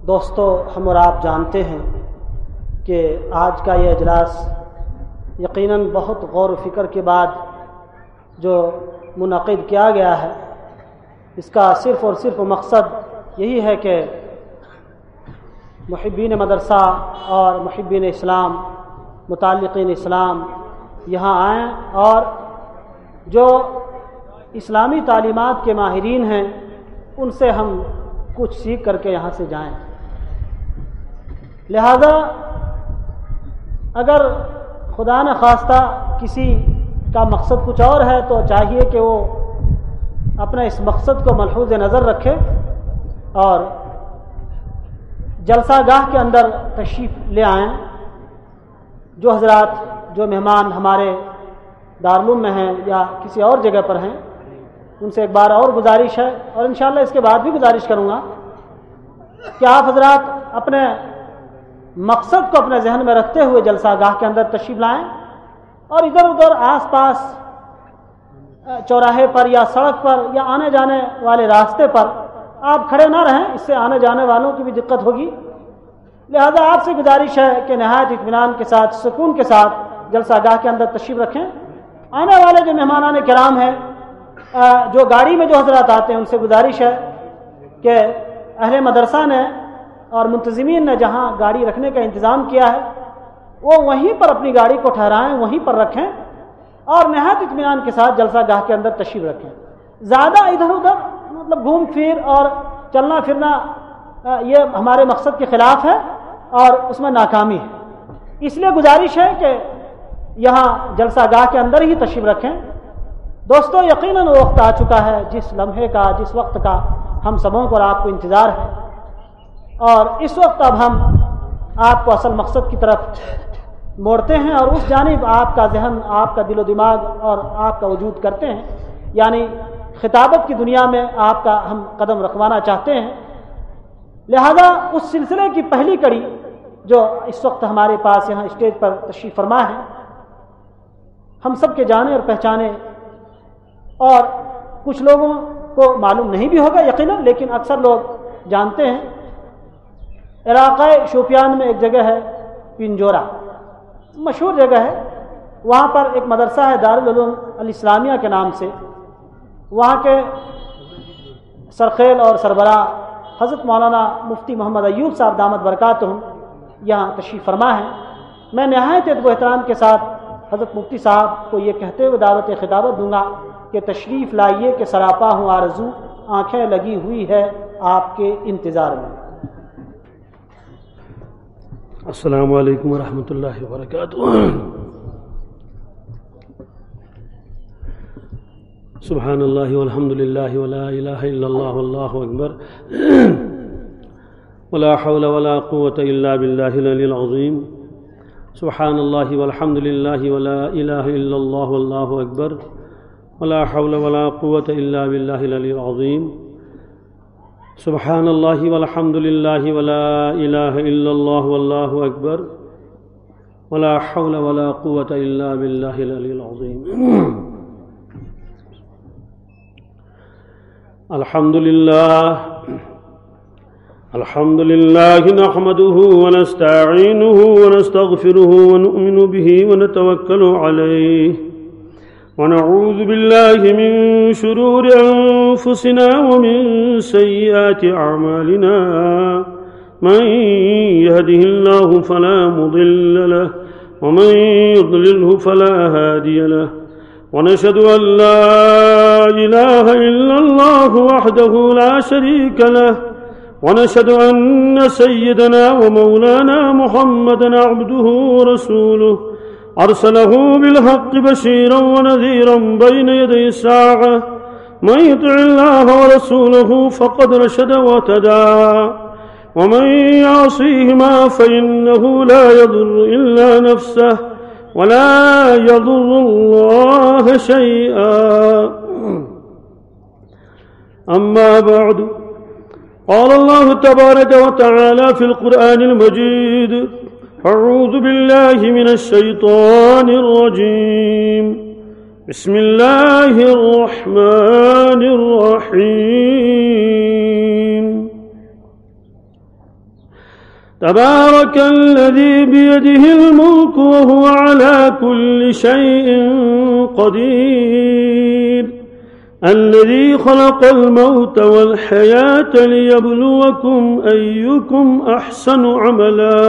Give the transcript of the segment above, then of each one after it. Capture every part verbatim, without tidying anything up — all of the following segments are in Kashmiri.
دوستو، ہم اور آپ جانتے ہیں کہ آج کا یہ اجلاس یقیناً بہت غور و فکر کے بعد جو منعقد کیا گیا ہے، اس کا صرف اور صرف مقصد یہی ہے کہ محبین مدرسہ اور محبین اسلام، متعلقین اسلام یہاں آئیں اور جو اسلامی تعلیمات کے ماہرین ہیں، ان سے ہم کچھ سیکھ کر کے یہاں سے جائیں۔ لہذا اگر خدا نخواستہ کسی کا مقصد کچھ اور ہے تو چاہیے کہ وہ اپنے اس مقصد کو ملحوظ نظر رکھے اور جلسہ گاہ کے اندر تشریف لے آئیں۔ جو حضرات، جو مہمان ہمارے دارالعلوم میں ہیں یا کسی اور جگہ پر ہیں، ان سے ایک بار اور گزارش ہے، اور انشاءاللہ اس کے بعد بھی گزارش کروں گا کہ آپ حضرات اپنے مقصد کو اپنے ذہن میں رکھتے ہوئے جلسہ گاہ کے اندر تشریف لائیں اور ادھر ادھر آس پاس، چوراہے پر یا سڑک پر یا آنے جانے والے راستے پر آپ کھڑے نہ رہیں، اس سے آنے جانے والوں کی بھی دقت ہوگی۔ لہذا آپ سے گزارش ہے کہ نہایت اطمینان کے ساتھ، سکون کے ساتھ جلسہ گاہ کے اندر تشریف رکھیں۔ آنے والے جو مہمانان کرام ہیں، جو گاڑی میں جو حضرات آتے ہیں، ان سے گزارش ہے کہ اہل مدرسہ نے اور منتظمین نے جہاں گاڑی رکھنے کا انتظام کیا ہے، وہ وہیں پر اپنی گاڑی کو ٹھہرائیں، وہیں پر رکھیں اور نہایت اطمینان کے ساتھ جلسہ گاہ کے اندر تشریف رکھیں۔ زیادہ ادھر ادھر، مطلب، گھوم پھر اور چلنا پھرنا، یہ ہمارے مقصد کے خلاف ہے اور اس میں ناکامی ہے۔ اس لیے گزارش ہے کہ یہاں جلسہ گاہ کے اندر ہی تشریف رکھیں۔ دوستو، یقیناً وہ وقت آ چکا ہے جس لمحے کا، جس وقت کا ہم سبوں کو اور آپ کو انتظار ہے، اور اس وقت اب ہم آپ کو اصل مقصد کی طرف موڑتے ہیں اور اس جانب آپ کا ذہن، آپ کا دل و دماغ اور آپ کا وجود کرتے ہیں، یعنی خطابت کی دنیا میں آپ کا ہم قدم رکھوانا چاہتے ہیں۔ لہذا اس سلسلے کی پہلی کڑی جو اس وقت ہمارے پاس یہاں اسٹیج پر تشریف فرما ہے، ہم سب کے جانے اور پہچانے اور کچھ لوگوں کو معلوم نہیں بھی ہوگا یقیناً، لیکن اکثر لوگ جانتے ہیں، علاقہ شوپیان میں ایک جگہ ہے پنجورا، مشہور جگہ ہے۔ وہاں پر ایک مدرسہ ہے دارالعلوم الاسلامیہ کے نام سے۔ وہاں کے سرخیل اور سربراہ حضرت مولانا مفتی محمد ایوب صاحب دامت برکاتہم یہاں تشریف فرما ہیں۔ میں نہایت ادب و احترام کے ساتھ حضرت مفتی صاحب کو یہ کہتے ہوئے دعوت خطابت دوں گا کہ تشریف لائیے کہ سراپا ہوں آرزو، آنکھیں لگی ہوئی ہے آپ کے انتظار میں۔ السلام علیکم ورحمۃ اللہ وبرکاتہ۔ سبحان اللہ والحمد للہ ولا الہ الا اللہ واللہ اکبر۔ ولا حول ولا قوة الا باللہ العلی العظیم۔ سبحان اللہ والحمد للہ ولا الہ الا اللہ واللہ اکبر۔ ولا حول ولا قوة الا باللہ العلی العظیم۔ سبحان اللہ والحمد للہ ولا الہ الا اللہ واللہ اکبر۔ ولا حول ولا قوة الا باللہ العلی العظیم۔ الحمد للہ۔ الحمد للہ نحمده ونستعینه ونستغفره ونؤمن به ونتوکل علیه ونعوذ بالله من شرور أنفسنا ومن سيئات أعمالنا۔ من يهده الله فلا مضل له ومن يضلله فلا هادي له۔ ونشهد أن لا إله إلا الله وحده لا شريك له، ونشهد أن سيدنا ومولانا محمدا عبده ورسوله، أرسله بالحق بشيرا ونذيرا بين يدي الساعة، من يطع الله ورسوله فقد رشد واهتدى، ومن يعصيهما فإنه لا يضر إلا نفسه ولا يضر الله شيئا۔ أما بعد، قال الله تبارك وتعالى في القرآن المجيد: أعوذ بالله من الشيطان الرجيم، بسم الله الرحمن الرحيم۔ تبارك الذي بيده الملك وهو على كل شيء قدير. الذي خلق الموت والحياة ليبلوكم أيكم أحسن عملا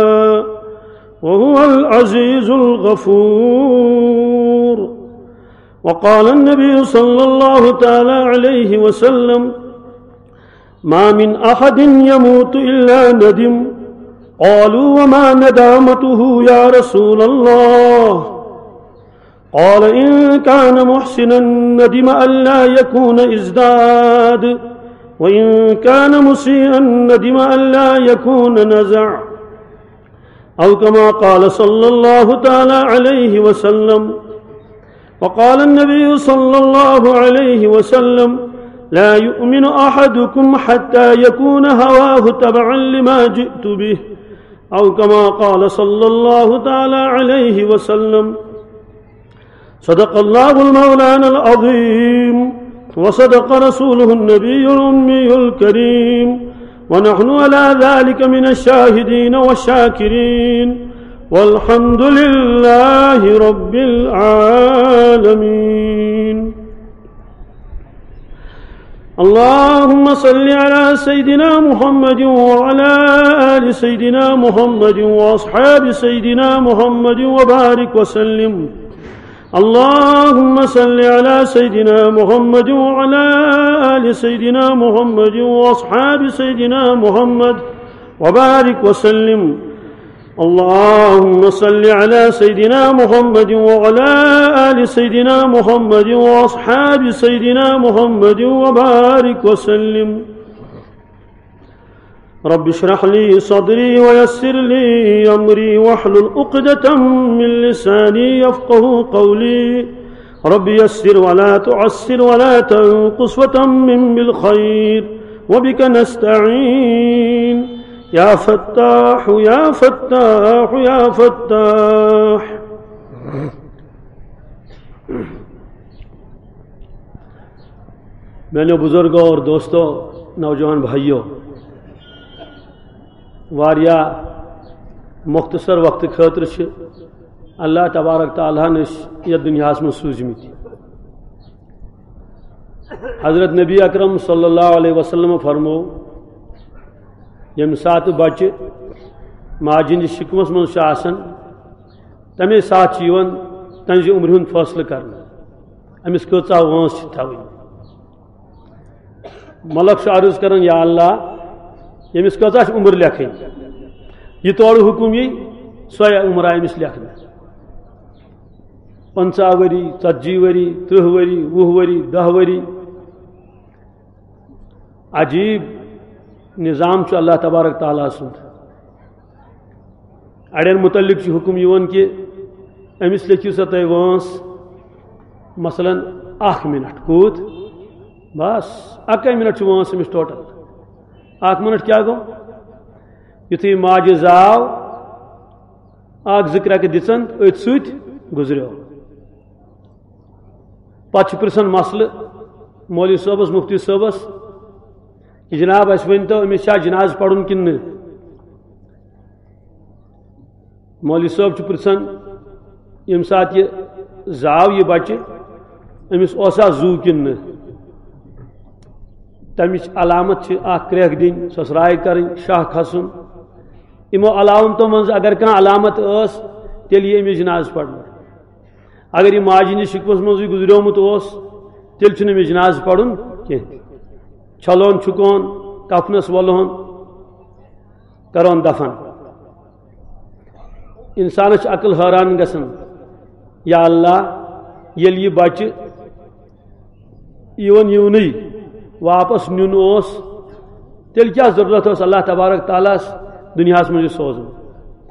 وهو العزيز الغفور. وقال النبي صلى الله تعالى عليه وسلم: ما من أحد يموت إلا ندم. قالوا: وما ندامته يا رسول الله؟ قال: إن كان محسنا ندم ألا يكون ازداد، وإن كان مسيئا ندم ألا يكون نزع. أو كما قال صلى الله تعالى عليه وسلم. وقال النبي صلى الله عليه وسلم: لا يؤمن أحدكم حتى يكون هواه تبعا لما جئت به، أو كما قال صلى الله تعالى عليه وسلم. صدق الله المولانا العظيم، وصدق رسوله النبي الأمي الكريم، ونحن على ذلك من الشاهدين والشاكرين، والحمد لله رب العالمين. اللهم صل على سيدنا محمد وعلى آل سيدنا محمد وأصحاب سيدنا محمد وبارك وسلم. اللهم صل على سيدنا محمد وعلى آل سيدنا محمد وأصحاب سيدنا محمد وبارك وسلم. اللهم صل على سيدنا محمد وعلى آل سيدنا محمد وأصحاب سيدنا محمد وبارك وسلم. رب اشرح لي صدري ويسر لي أمري واحلل عقدة من لساني يفقه قولي. رب يسر ولا تعسر ولا تنقص وتمم بالخير، وبك نستعين. يا فتاح، يا فتاح، يا فتاح. میانیو بزرگو اور دوستو، نوجوان بھائیو، واریاہ مختصر وقت خٲطرٕ چھِ اللہ تبارک تعالیٰ ہن أسۍ یتھ دُنیاہس منٛز سوٗزمٕتۍ۔ حضرت نبی اکرم صلی اللہ علیہ وسلم فرمو، ییٚمہِ ساتہٕ بچہِ ماجہِ ہٕنٛدِس شِکمس منٛز چھُ آسان، تمے ساتہٕ چھُ یِوان تہنٛزِ عمرِ ہُنٛد فٲصلہٕ کرنہٕ، أمِس کۭژاہ وٲنٛس چھِ تھاوٕنۍ۔ ملک چھُ عرض کران، یا اللہ، ییٚمِس کۭژاہ چھِ عمر لیکھٕنۍ؟ یہِ تورٕ حُکُم یی، سۄے عمر آیہِ أمِس لیکھنہٕ۔ پنٛژاہ ؤری، ژتجی ؤری، ترٕٛہ ؤری، وُہ ؤری، دَہ ؤری۔ عجیب نظام چھُ اللہ تبارک تعالیٰ سُنٛد۔ اڑٮ۪ن متعلق چھُ حُکُم یِوان کہِ أمِس لیکھِو سا تُہۍ وٲنٛس، مثلاً، اکھ منٹ۔ کوٗت؟ بس، اَکٕے منٹ چھُ وٲنٛس أمِس ٹوٹل۔ اکھ منٹ کیٛاہ گوٚو؟ یُتھُے ماجہِ زاو، اکھ زٕ کرٛٮ۪کہٕ دِژن، أتھۍ سۭتۍ گُزریو۔ پتہٕ چھُ پرژھان مسلہٕ مولوی صٲبس، مفتی صٲبس، کہ جناب، اسہِ ؤنۍ تو، أمِس چھا جنازٕ پرُن کِنہٕ نہٕ؟ مولوی صٲب چھُ پرژھان، ییٚمہِ ساتہٕ یہِ زاو یہِ بچہِ، أمِس اوسا زُو کِنہٕ نہٕ؟ تمِچ علامت چھِ اکھ کرٛٮ۪کھ دِنۍ، سۄسراے کرٕنۍ، شاہ کھسُن۔ یِمو علامتو منٛز اگر کانٛہہ علامت ٲس، تیٚلہِ یی أمِس جنازٕ پرنہٕ۔ اگر یہِ ماجہِ ہٕنٛدِس شِکمس منٛزٕے گُزریومُت اوس، تیٚلہِ چھُنہٕ أمِس جنازٕ پرُن کینٛہہ۔ چھلون چھُکون، کفنس ولہون، کرون دفن۔ انسانس چھِ عقل حٲران گژھان، یا اللہ، ییٚلہِ یہِ بچہِ یِوان یِونٕے واپس نیُن اوس، تیٚلہِ کیٛاہ ضروٗرت ٲس اللہ تبارک تعالیٰ ہس دُنیاہس منٛز یہِ سوزُن؟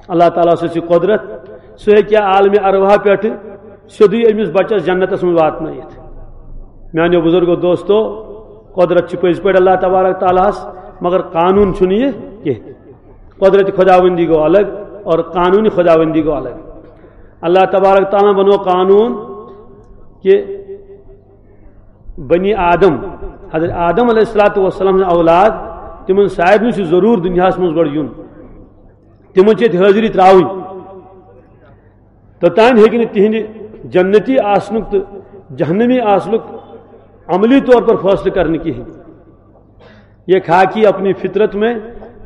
اللہ تعالیٰ سٕنٛز چھِ قۄدرت، سُہ ہیٚکہِ عالمِ ارواح پٮ۪ٹھٕ سیوٚدُے أمِس بچس جنتس منٛز واتنٲیِتھ۔ میانیو بزرگو دوستو، قۄدرت چھِ پٔزۍ پٲٹھۍ اللہ تبارک تعالیٰ ہس، مگر قانوٗن چھُنہٕ یہِ کینٛہہ۔ قۄدرتِ خۄداوندی گوٚو الگ اور قانوٗنِ خۄداوندی گوٚو الگ۔ اللہ تبارک تعالیٰ بنوو قانوٗن کہ بنی آدم، حضرت آدم علیہ الصلوۃ والسلام سٕنٛدۍ اولاد، تِمن سارنٕے چھُ ضروٗر دُنیاہس منٛز گۄڈٕ یُن۔ تِمن چھِ ییٚتہِ حٲضری ترٛاوٕنۍ۔ توٚتام ہیٚکہِ نہٕ تِہنٛدِ جنتی آسنُک تہٕ جہنمی آسنُک عملی طور پر فٲصلہٕ کرنہٕ کِہیٖنۍ۔ یہ خاکی اپنی فطرت میں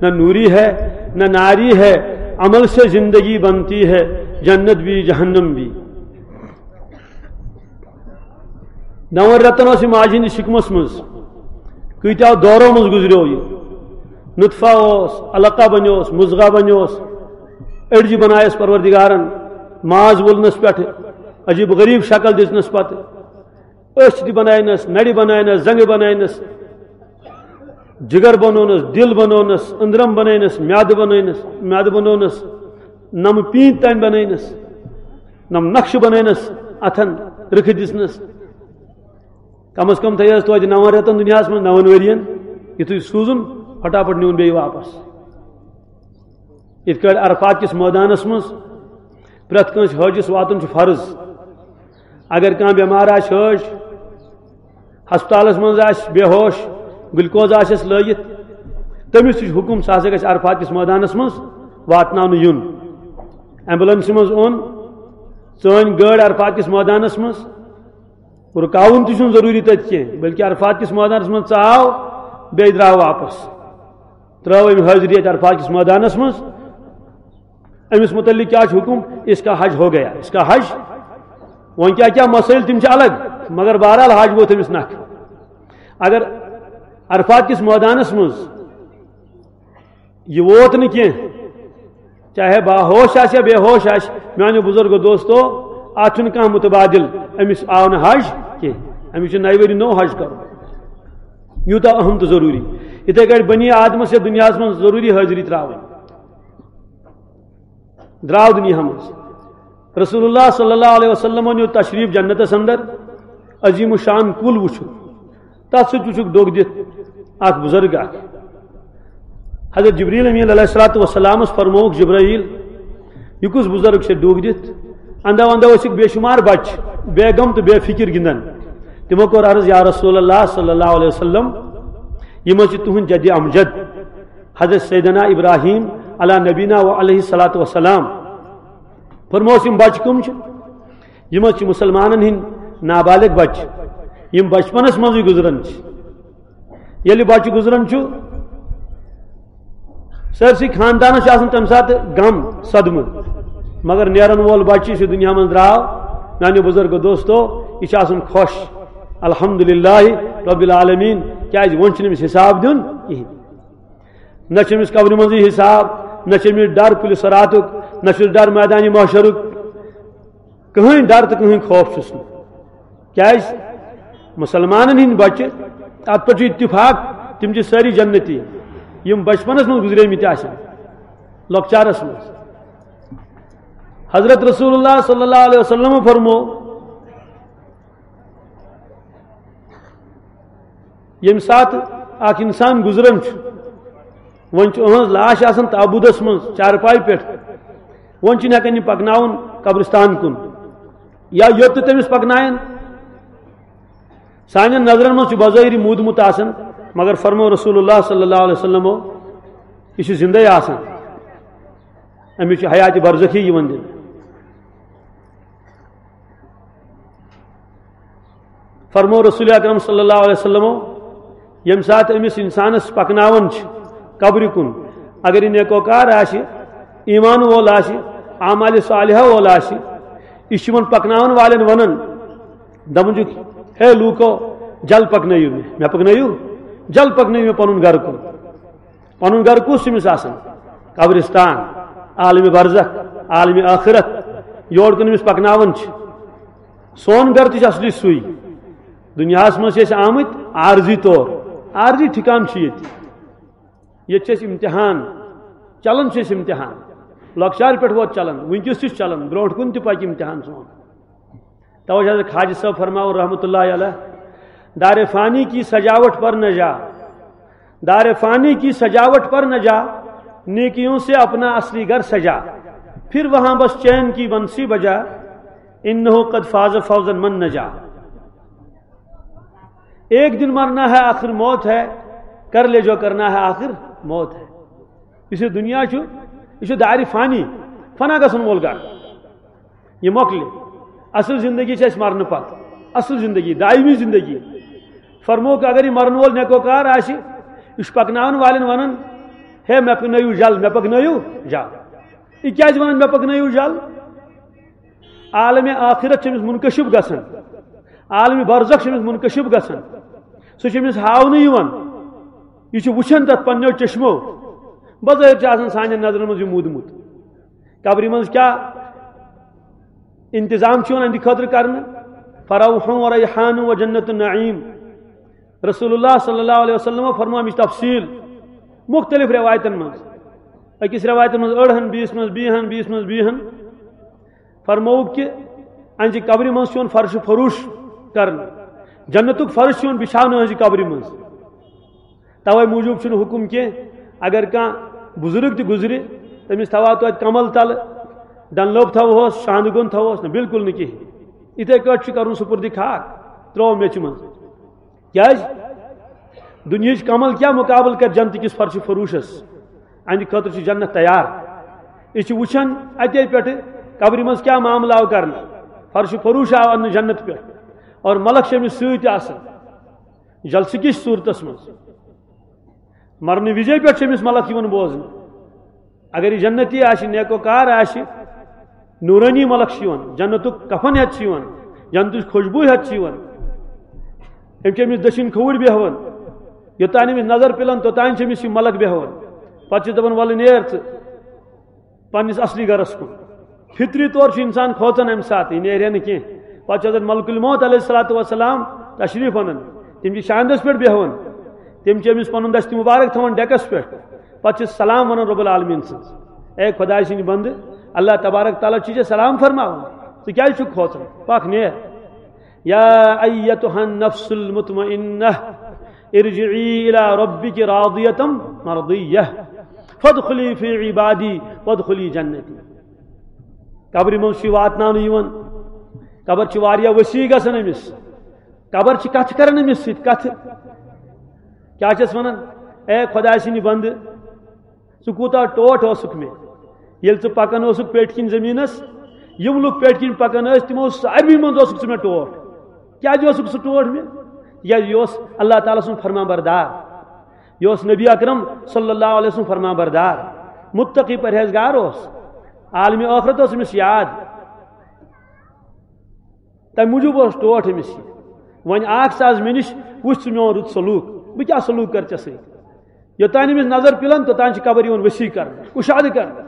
نہ نوری ہے، نہ ناری ہے، عمل سے زندگی بنتی ہے، جنت بھی جہنم بھی۔ نون رٮ۪تن اوس یہِ ماجہِ ہٕنٛدِس شِکمس منٛز، کۭتیاہ دورو منٛز گُزریو یہِ۔ نطفہ اوس، علقہ بنیوس، مضغہ بنیوس، أڈجہِ بنایس پروردگارن، ماز وولنس پٮ۪ٹھ، عجیب غریب شکل دِژنس پتہٕ۔ أچھ تہِ بناونس، نرِ بناونس، زنگہٕ بناونس، جگر بنونس، دل بنونس، أندرم بناونس، میادٕ بناونس، میادٕ بنونس، نم پیٖنتۍ تام بناونس، نم نقشہٕ بناونس، اتھن رٕکھٕ دِژنس۔ کم از کم تھٲیس توتہِ نون رٮ۪تن دُنیاہس منٛز، نون ؤرین، یُتھُے سوٗزُن، پھٹاپھٹ نیوٗن بیٚیہِ واپس۔ یِتھ کٲٹھۍ عرفات کِس مٲدانس منٛز پرٛٮ۪تھ کٲنٛسہِ حٲجِس واتُن چھُ فرض۔ اگر کانٛہہ بٮ۪مار آسہِ، حٲج ہسپتالس منٛز آسہِ بے ہوش، گلوکوز آسٮ۪س لٲگِتھ، تٔمِس تہِ چھُ حُکُم، سُہ ہسا گژھِ عرفات کِس مٲدانس منٛز واتناونہٕ یُن۔ ایمبولنسہِ منٛز اوٚن، ژٲنۍ گٲڑۍ عرفات کِس مٲدانس منٛز، رُکاوُن تہِ چھُنہٕ ضروٗری تَتہِ کینٛہہ، بلکہِ عرفات کِس مٲدانس منٛز ژاو، بیٚیہِ درٛاو واپس، ترٛٲو أمۍ حٲضری اَتہِ عرفات کِس مٲدانس منٛز۔ أمِس مُتعلِق کیٛاہ چھُ حُکُم؟ اس کا حج ہو گیا، اس کا حج۔ وۄنۍ کیٛاہ کیٛاہ مسٲیِل، تِم چھِ الگ، مگر بہرحال حج ووت أمِس نکھٕ۔ اگر عرفات کِس مٲدانس منٛز یہِ ووت نہٕ کینٛہہ، چاہے باہوش آسہِ یا بے ہوش آسہِ، میانیو بزرگو دوستو، اتھ چھُنہٕ کانٛہہ متبادل، أمِس آو نہٕ حج کینٛہہ، أمِس چھُ نَیہِ ؤری نوٚو حج کرُن۔ یوٗتاہ اہم تہٕ ضروٗری۔ یِتھے کٲٹھۍ بنی آدمس یتھ دُنیاہس منٛز ضروٗری حٲضری ترٛاوٕنۍ، درٛاو دُنیاہس منٛز۔ رسول اللہ صلی اللہ علیہ وسلم نیوٗ تشریف جنتس اندر، عظیم الشان کُل وٕچھُکھ، تتھ سۭتۍ وٕچھُکھ ڈوٚگ دِتھ اکھ بزرگ اکھ۔ حضرت جبریل امین علیہ الصلوۃ والسلامس فرمووُکھ، جبرائیل، یہِ کُس بزرگ چھُ ڈوٚگ دِتھ؟ اندو اندو ٲسِکھ بے شمار بچہِ بیگم تہٕ بے فکر گِنٛدان۔ تِمو کوٚر عرض، یا رسول اللہ صلی اللہ علیہ وسلم، یِم حظ چھِ تُہنٛد جد امجد حضرت سیدنا ابراہیم علی نبینا و علیہ الصلوۃ والسلام۔ فرموس، یِم بچہِ کٕم چھِ؟ یِم حظ چھِ مُسلمانن ہٕنٛدۍ نابالغ بچہِ، یِم بچپنس منٛزٕے گُزران چھِ۔ ییٚلہِ بچہِ گُزران چھُ، سٲرسٕے خاندانس چھُ آسان تَمہِ ساتہٕ غم، صدمہٕ، مگر نیرن وول بچہِ یُس یہِ دُنیا منٛز درٛاو، میانیو بُزرگو دوستو، یہِ چھُ آسان خۄش، الحمدللہ رب العالمین، کیازِ وۄنۍ چھُنہٕ أمِس حساب دیُن کِہینۍ۔ نہ چھُ أمِس قبرِ منٛزٕے حساب، نہ چھُ أمِس ڈر پُلہِ صراتُک، نہ چھُس ڈر میدانِ محشرُک۔ کٕہٕنۍ ڈر تہٕ کٕہٕنۍ خوف چھُس نہٕ۔ کیازِ؟ مُسلمانن ہٕنٛدۍ بچہِ، اتھ پٮ۪ٹھ چھُ اتفاق، تِم چھِ سٲری جنتی، یِم بچپنس منٛز گُزریمٕتۍ آسن، لۄکچارس منٛز۔ حضرت رسول اللہ صلی اللہ علیہ وسلم فرمو، ییٚمہِ ساتہٕ اکھ انسان گُزران چھُ، وۄنۍ چھُ أہنٛز لاش آسان تابوٗتس منٛز چارپایہِ پٮ۪ٹھ، وۄنۍ چھِنہٕ ہٮ۪کان یہِ پکناوُن قبرستان کُن، یا یوٚت تہِ تٔمِس پکناون۔ سانٮ۪ن نظرن منٛز چھُ بظٲہری موٗدمُت آسان، مگر فرمو رسول اللہ صلی اللہ علیہ وسلمو، یہِ چھُ زندے آسان، أمِس چھُ حیاتِ برزخی یِوان دِنہٕ۔ فرمو رسول اکرم صلی اللہ علیہ وسلمو، ییٚمہِ ساتہٕ أمِس انسانس پکناوان چھِ قبرِ کُن، اگر یہِ نیکوکار آسہِ، ایمان وول آسہِ، اعمالِ صالحہ وول آسہِ، یہِ چھُ یِمن پکناون والٮ۪ن ونان، دپان چھُکھ، ہے لوٗکو، جل پکنٲیِو مےٚ، مےٚ پکنٲیِو، جل پکنٲیِو مےٚ پنُن گرٕ کُن۔ پنُن گرٕ کُس چھُ أمِس آسان؟ قبرستان، عالمِ برزخ، عالمِ آخرت، یور کُن أمِس پکناوان چھِ۔ سون گرٕ تہِ چھُ اصلی سُے۔ دُنیاہس منٛز چھِ أسۍ آمٕتۍ عارضی طور، عارضی ٹھکان چھُ ییٚتہِ۔ ییٚتہِ چھِ أسۍ امتحان، چلان چھِ أسۍ امتحان۔ لۄکچارٕ پٮ۪ٹھ ووت چلان، وٕنکیٚس تہِ چھُ چلان، برونٛٹھ کُن تہِ پکہِ امتحان سون۔ توجہ حضرت خواجہ صاحب فرماؤ رحمت اللہ علیہ، دار فانی کی سجاوٹ پر نہ جا، دار فانی کی سجاوٹ پر نہ جا، نیکیوں سے اپنا اصلی گھر سجا، پھر وہاں بس چین کی بنسی بجا، انہ قد فاز فوزا من نجا۔ ایک دن مرنا ہے، آخر موت ہے، کر لے جو کرنا ہے، آخر موت ہے۔ یُس یہِ دُنیا چھُ، یہِ چھُ دارِ فانی، فنا گژھن وول گرٕ۔ یہِ مۄکلہِ۔ اصل زندگی چھِ اَسہِ مرنہٕ پتہٕ۔ اصل زندگی، دائمی زندگی۔ فرمووُکھ، اگر یہِ مرن وول نیکوکار آسہِ، یہِ چھُ پکناون والٮ۪ن ونان، "ہے، مےٚ پکنٲیِو جل، مےٚ پکنٲیِو جل۔" یہِ کیازِ ونان، "مےٚ پکنٲیِو جل"؟ عالم آخرت چھِ أمِس منکشف گژھان، عالم برزخ چھِ أمِس منکشف گژھان، سُہ چھُ أمِس ہاونہٕ یِوان، یہِ چھُ وٕچھان تتھ پننیو چشمو۔ بظٲہر چھُ آسان سانٮ۪ن نظرن منٛز یہِ موٗدمُت۔ قبرِ منٛز کیٛاہ انتظام چھُ یِوان أہنٛدِ خٲطرٕ کرنہٕ؟ فروح و ریحان و جنت النعیم۔ رسول اللہ صلی اللہ علیہ وسلم فرموو اَمِچ تفصیل مختلف روایتن منٛز۔ أکِس روایتن منٛز أڑہن، بیٚیِس منٛز بیٚیہِ ہن، بیٚیِس منٛز بیٚیہِ ہن۔ فرمووُکھ کہِ أہنٛزِ قبرِ منٛز چھُ یِوان فرش فروش کرنہٕ، جنتُک فرش چھُ یِوان بِچھاونہٕ أہنٛزِ قبرِ منٛز۔ توے موٗجوٗب چھُنہٕ حُکُم کینٛہہ، اگر کانٛہہ بُزرگ تہِ گُزرِ، تٔمِس تھاوہا توتہِ کمل تلہٕ، ڈنلوپ تھاوہوس، شاندٕ گوٚن تھاوہوس، نہ، بالکل نہٕ کِہیٖنۍ۔ یِتھے کٲٹھۍ چھُ کرُن سُپرد خاک، ترٛوو میٚژِ منٛز۔ کیازِ؟ دُنیہٕچ کمل کیٛاہ مُقابلہٕ کرِ جنتہٕ کِس فرش فروشس؟ اَہنٛدِ خٲطرٕ چھِ جنت تیار۔ أسۍ چھِ وٕچھان اَتے پٮ۪ٹھٕ قبرِ منٛز کیٛاہ معاملہٕ آو کرنہٕ۔ فرش فروش آو اننہٕ جنت پٮ۪ٹھ اور ملک چھِ أمِس سۭتۍ آسان جلسہٕ کِس صوٗرتس منٛز۔ مرنہٕ وِزے پٮ۪ٹھ چھِ أمِس ملک یِوان بوزنہٕ۔ اگر یہِ جنتی آسہِ، نیکوکار آسہِ، نورانی ملک چھِ یِوان، جنتُک کفن ہٮ۪تھ چھِ یِوان، جنتٕچ خوشبوٗ ہٮ۪تھ چھِ یِوان۔ أمۍ چھِ أمِس دٔچھِنۍ کھووُر بیٚہوان، یوٚتام أمِس نظر پِلان، توٚتام چھِ أمِس یہِ ملک بیٚہوان۔ پتہٕ چھِ دَپان، "وَلہٕ نیر ژٕ پننِس اصلی گرس کُن۔" فطری طور چھُ انسان کھوژان امہِ ساتہٕ، یہِ نیرِ ہا نہٕ کینٛہہ۔ پتہٕ چھُ حضرت ملک الموت علیہ الصلوۃ والسلام تشریف انان، تِم چھِ شاندس پٮ۪ٹھ بیہوان، تِم چھِ أمِس پنُن دستِ مبارک تھاوان ڈیکس پٮ۪ٹھ، پتہٕ چھِ سلام ونان رب العالمین سٕنٛز، "اے خداے سٕنٛدِ بندٕ، اللہ تبارک تعالیٰ چھُ ژےٚ سلام فرماوان، ژٕ کیازِ چھُکھ کھوژان؟ پکھ نیر۔ یا ایتہا النفس المطمئنہ، ارجعی الی ربک راضیۃ مرضیہ، فادخلی فی عبادی وادخلی جنتی۔" قبرِ منٛز چھُ یہِ واتناونہٕ یِوان۔ قبر چھِ واریاہ وسیع گژھان أمِس۔ قبر چھِ کتھٕ کران أمِس سۭتۍ، کتھٕ۔ کیٛاہ چھَس ونان؟ "اے خداے سٕنٛدِ بندٕ، ژٕ کوٗتاہ ٹوٹھ اوسُکھ مےٚ۔ ییٚلہِ ژٕ پکان اوسُکھ پیٹھۍ کِنۍ زٔمیٖنس، یِم لُکھ پیٹھۍ کِنۍ پکان ٲسۍ، تِمو ساروی منٛز اوسُکھ ژٕ مےٚ ٹوٹھ۔" کیٛازِ اوسُکھ سُہ ٹوٹھ مےٚ؟ تِکیٛازِ یہِ اوس اللہ تعالیٰ سُنٛد فرمان بردار۔ یہِ اوس نبی اکرم صلی اللہ علیہ وسلم فرمان بردار، متقی پرہیزگار اوس، عالمِ ٲخرت اوس أمِس یاد۔ تَمہِ موٗجوٗب اوس ٹوٹھ أمِس یہِ۔ وۄنۍ آکھ ژٕ از مےٚ نِش، وٕچھ ژٕ میون رُت سلوٗک، بہٕ کیٛاہ سلوٗک کرٕ ژےٚ سۭتۍ۔ یوٚتام أمِس نظر پِلان، توٚتام چھِ قبر یِوان وسیع کرنہٕ، کُشادٕ کرنہٕ۔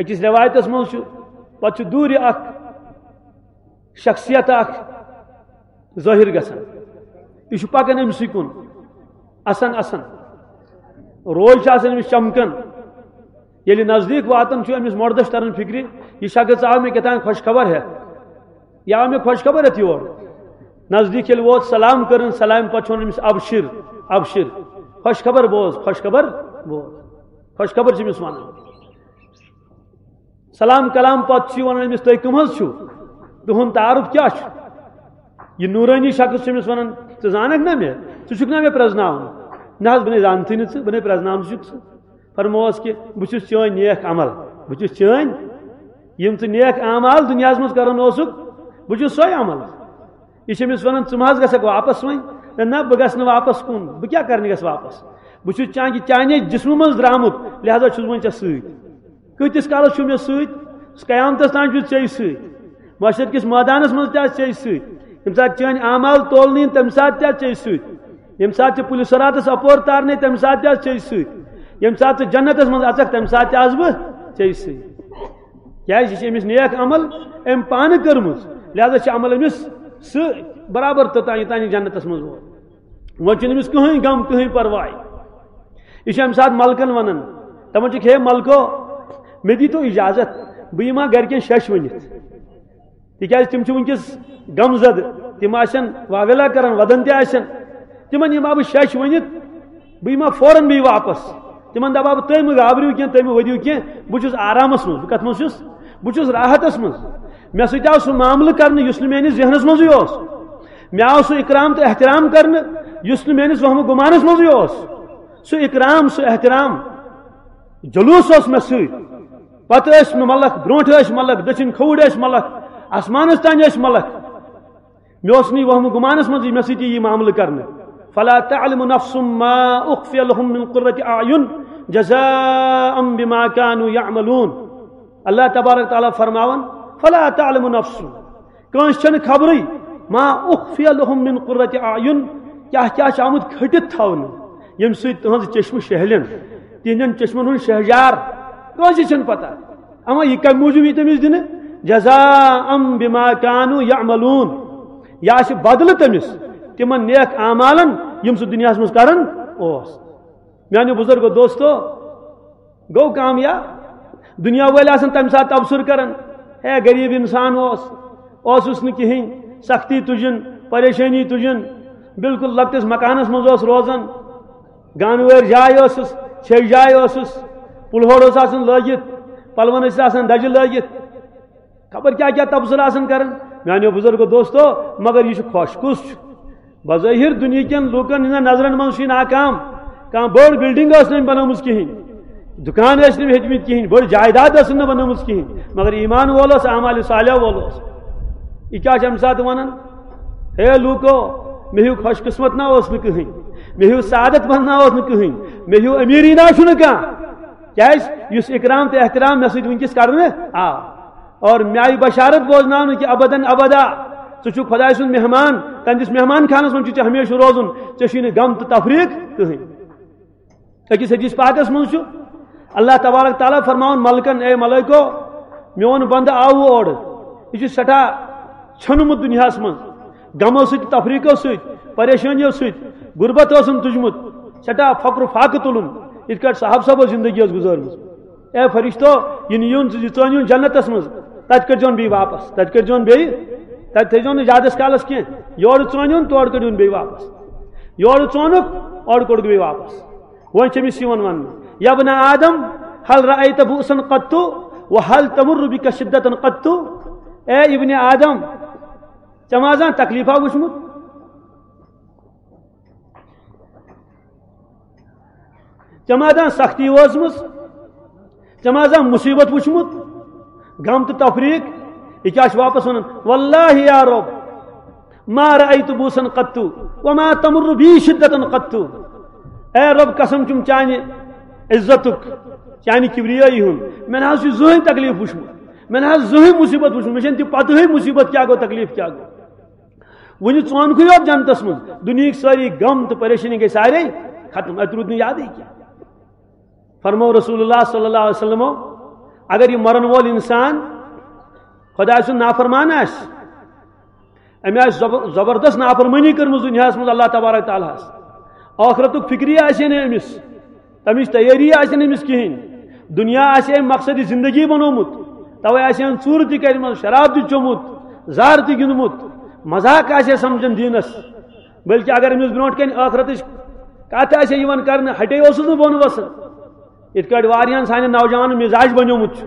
أکِس رٮ۪وایتس منٛز چھُ، پتہٕ چھُ دوٗرِ اکھ شخصیت اکھ ظٲہِر گژھان۔ یہِ چھُ پکان أمۍ سٕے کُن، اَسان اَسان۔ روے چھِ آسان أمِس چمکان۔ ییٚلہِ نزدیٖک واتان چھُ، أمِس مۄردس چھِ تران فِکرِ، یہِ شخص آو مےٚ کیٛاہ تام خۄش خبر ہٮ۪تھ۔ یہِ آو مےٚ خۄش خبر ہٮ۪تھ یور۔ نزدیٖک ییٚلہِ ووت، سلام کٔرٕن، سلامہِ پتہٕ چھُ وَنان أمِس، "ابشر، ابشر، خۄش خبر بوز، خۄش خبر بوز۔" خۄش خبر چھِ أمِس وَنان۔ سلام کلام پتہٕ چھُ یہِ ونان أمِس، "تُہۍ کٕم حظ چھِو؟ تُہُنٛد تعارُف کیٛاہ چھُ؟" یہِ نوٗرٲنی شخص چھُ أمِس ونان، "ژٕ زانکھ نا مےٚ؟ ژٕ چھُکھ نا مےٚ پرٛزناوان؟" "نہ حظ، بہٕ نے زانتھٕے نہٕ ژٕ، بہٕ نے پرٛزناونہٕ چھُکھ ژٕ۔" فرمووس کہِ، "بہٕ چھُس چٲنۍ نیک عمل، بہٕ چھُس چٲنۍ، یِم ژٕ نیک اعمال دُنیاہس منٛز کران اوسُکھ، بہٕ چھُس سۄے عمل۔" یہِ چھِ أمِس وَنان، "ژٕ مہ حظ گژھکھ واپَس وۄنۍ؟" "نہ، نہ، بہٕ گژھٕ نہٕ واپَس کُن۔ بہٕ کیٛاہ کَرنہِ گژھٕ واپَس؟ بہٕ چھُس چانہِ، چانے جسمہٕ منٛز درٛامُت، لہذا چھُس بہٕ وۄنۍ ژےٚ سۭتۍ۔ کۭتِس کالَس چھُ مےٚ سۭتۍ؟ قیامتَس تام چھُس ژےٚ سۭتۍ۔ محشر کِس مٲدانَس منٛز تہِ آسہٕ ژےٚ سۭتۍ۔ ییٚمہِ ساتہٕ چٲنۍ اعمال تولنہٕ یِن، تَمہِ ساتہٕ تہِ آسہٕ ژےٚ سۭتۍ۔ ییٚمہِ ساتہٕ ژےٚ پُلہِ صراطَس اَپور تارنَے، تَمہِ ساتہٕ تہِ آسہٕ ژےٚ سۭتۍ۔ ییٚمہِ ساتہٕ ژٕ جنتَس منٛز اَژَکھ، تَمہِ ساتہٕ تہِ آسہٕ بہٕ ژےٚ سۭتۍ۔" کیٛازِ یہِ چھِ أمِس نیک عمل أمۍ پانہٕ کٔرمٕژ، لہذا چھِ عمل أمِس سۭتۍ برابر توٚتام، یوٚتام یہِ جنتَس منٛز ووت۔ وۄنۍ چھُنہٕ أمِس کٕہٕنۍ غم، کٕہٕنۍ پرواے۔ یہِ چھُ اَمہِ ساتہٕ ملکن وَنان، دَپان چھِکھ، "ہے ملکو، مےٚ دیٖتو اِجازت، بہٕ یِمہٕ ہا گرِکٮ۪ن شٮ۪ش ؤنِتھ۔" تِکیٛازِ تِم چھِ وٕنکیٚس غم زدٕ، تِم آسن واویلا کران، وَدان تہِ آسن۔ تِمن یِمہٕ ہا بہٕ شٮ۪ش ؤنِتھ، بہٕ یِمہٕ ہا فوراً بیٚیہِ واپس۔ تِمن دَپہٕ ہا بہٕ، "تُہۍ مہٕ گابرِو کینٛہہ، تُہۍ مہٕ ؤدِو کینٛہہ، بہٕ چھُس آرامس منٛز۔" بہٕ کتھ منٛز چھُس؟ بہٕ چھُس راحتس منٛز۔ مےٚ سۭتۍ آو سُہ معاملہٕ کرنہٕ یُس نہٕ میٲنِس ذہنس منٛزٕے اوس۔ مےٚ آو سُہ اکرام تہٕ احترام کرنہٕ یُس نہٕ میٲنِس وہمہٕ گُمانس منٛزٕے اوس۔ سُہ اکرام، سُہ احترام، جلوس اوس مےٚ سۭتۍ۔ پتہٕ ٲسۍ مےٚ ملک، برونٛٹھ ٲسۍ ملک، دٔچھِنۍ کھووُر ٲسۍ ملک، آسمانس تانۍ ٲسۍ ملک۔ مےٚ اوس نہٕ یہِ وہمہٕ گُمانس منٛز یہِ مےٚ سۭتۍ یی یہِ معاملہٕ کرنہٕ۔ فلا تعلم نفس ما اخفی لهم من قرة اعین جزاء بما كانوا يعملون۔ اللہ تبارک تعالیٰ فرماوان، فلا تعلم نفس، کٲنٛسہِ چھنہٕ خبرٕے، ما اخفی لهم من قرة اعین، کیاہ کیاہ چھُ آمُت کھٔٹِتھ تھاونہٕ، ییٚمہِ سۭتۍ تُہنٛز چشمہٕ شہلن، تِہنٛدٮ۪ن چشمن ہُنٛد شہجار، کٲنٛسہِ چھنہٕ پتہ۔ اما یہِ کمہِ موٗجوٗب یی تٔمِس دِنہٕ؟ جزاء بما كانوا يعملون، یہِ آسہِ بدلہٕ تٔمِس تِمن نیک اعمالن، یِم سُہ دُنیاہس منٛز کران اوس۔ میانیو بزرگو دوستو، گوٚو کامیاب۔ دُنیا وٲلۍ آسن تَمہِ ساتہٕ تبصرٕ کران، ہے غریٖب اِنسان اوس، اوسُس نہٕ کِہیٖنۍ، سختی تُجِن، پریشٲنی تُجِن، بالکل لۄکٹِس مکانس منٛز اوس روزان، گانہٕ وٲرۍ جاے ٲسٕس، ژھیٚے جاے ٲسٕس، پُلہور اوس آسان لٲگِتھ، پلون ٲسۍ آسان دَجہِ لٲگِتھ، خبر کیٛاہ کیٛاہ تبصرٕ آسان کران۔ میانیو بزرگو دوستو، مگر یہِ چھُ خۄش کُس چھُ؟ بظٲہِر دُنیہکٮ۪ن لوٗکن ہٕنٛدٮ۪ن نظرن منٛز چھُ یہِ ناکام۔ کانٛہہ بٔڑ بلڈنگ ٲس نہٕ أمۍ بنٲومٕژ کِہیٖنۍ، دُکان ٲسۍ نہٕ أمۍ ہیٚتمٕتۍ کِہیٖنۍ، بٔڑ جائیداد ٲس نہٕ بنٲومٕژ کِہیٖنۍ، مگر ایمان وول اوس، اعمال صالح وول اوس۔ یہِ کیٛاہ چھُ اَمہِ ساتہٕ وَنان؟ ہے لوٗکو، مےٚ ہیوٗ خۄش قسمت نا اوس نہٕ کٕہٕنۍ، مےٚ ہیوٗ سعادت مند نا اوس نہٕ کٕہٕنۍ، مےٚ ہیوٗ أمیٖری نا چھُنہٕ کانٛہہ۔ کیٛازِ؟ یُس اکرام تہٕ احترام مےٚ سۭتۍ وٕنکیٚس کرنہٕ آو۔ اور مےٚ آیہِ بشارت بوزناونہٕ کہِ ابدن ابدا ژٕ چھُکھ خۄداے سُنٛد مہمان، تہنٛدِس مہمان خانس منٛز چھُ ژےٚ ہمیشہٕ روزُن، ژےٚ چھُے نہٕ غم تہٕ تفریق کٕہٕنۍ۔ أکِس حدیث پاکس منٛز چھُ اللہ تبارک تعالیٰ فرماوان ملکن، اے ملائکو، میون بندٕ آو اورٕ، یہِ چھُ سٮ۪ٹھاہ ژھیوٚنمُت دُنیاہس منٛز، غمو سۭتۍ، تفریقو سۭتۍ، پریشٲنیو سۭتۍ، غربت اوسُن تُجمُت، سٮ۪ٹھاہ فقر و فاقہٕ تُلُن، یِتھ کٲٹھۍ صاحب صٲبو زندگی ٲس گُزٲرمٕژ۔ اے فرشتو، یہِ نِیِن، یہِ ژٲنِن جنتس منٛز، تتہِ کٔرۍزیون بیٚیہِ واپس، تتہِ کٔرۍزیون بیٚیہِ، تتہِ تھٲیزیون نہٕ زیادس کالس کینٛہہ، یورٕ ژٲنِن، تورٕ کٔرِون بیٚیہِ واپس، یورٕ ژونُکھ، اورٕ کوٚڑُکھ بیٚیہِ واپس۔ وۄنۍ چھِ أمِس یِوان وننہٕ، یا ابن آدم، هل رأيت بؤسا قط؟ وهل تمر بك شدة قط؟ اے ابن آدم، ژےٚ ما زانٛہہ تکلیفا وٕچھمُت؟ ژےٚ ما زانٛہہ سختی وٲژمٕژ؟ ژےٚ ما زانٛہہ مُصیبت وٕچھمُت؟ غم تہٕ تفریق؟ یہِ کیٛاہ چھُ واپس ونان؟ واللہ یا رب، ما رأيت بؤسا قط، وما تمر بي شدة قط۔ اے رب، قسم چھُم چانہِ عزتُک، چانہِ کبریٲیی ہُنٛد، مےٚ نہ حظ چھُ زٕہٕنۍ تکلیف وٕچھمُت، مےٚ نہ حظ زٕہٕنۍ مُصیبت وٕچھمُت، مےٚ چھَنہٕ تہِ پتہٕے مُصیبت کیٛاہ گوٚو، تکلیف کیٛاہ گوٚو۔ وُنہِ ژونکھٕے یوت جنتس منٛز، دُنیہٕکۍ سٲری غم تہٕ پریشٲنی گٔے سارے ختم، اتہِ روٗد نہٕ یادٕے کینٛہہ۔ فرمو رسول اللہ صلی اللہ علیہ وسلمو، اگر یہِ مرن وول انسان خۄداے سُنٛد نافرمان آسہِ، أمۍ آسہِ زب-، زبردست نافرمٲنی کٔرمٕژ دُنیاہس منٛز اللہ تبارک تعالیٰ ہس، ٲخرتُک فکری آسہِ ہے نہٕ أمِس، تَمِچ تیٲری آسہِ نہٕ أمِس کِہیٖنۍ۔ دُنیا آسہِ أمۍ مقصدِ زندگی بنوومُت، تَوَے آسہِ أمۍ ژوٗرٕ تہِ کَرِمَژ، شراب تہِ چوٚمُت، زار تہِ گِنٛدمُت، مذاق آسہِ ہے سمجھان دیٖنَس۔ بلکہِ اگر أمِس برونٛٹھ کَنہِ ٲخرتٕچ کَتھ آسہِ ہے یِوان کرنہٕ، ہٹے اوسُس نہٕ بۄن وَسان۔ یِتھ کٲٹھۍ واریاہَن سانٮ۪ن نوجوانَن مِزاج بنیومُت چھُ۔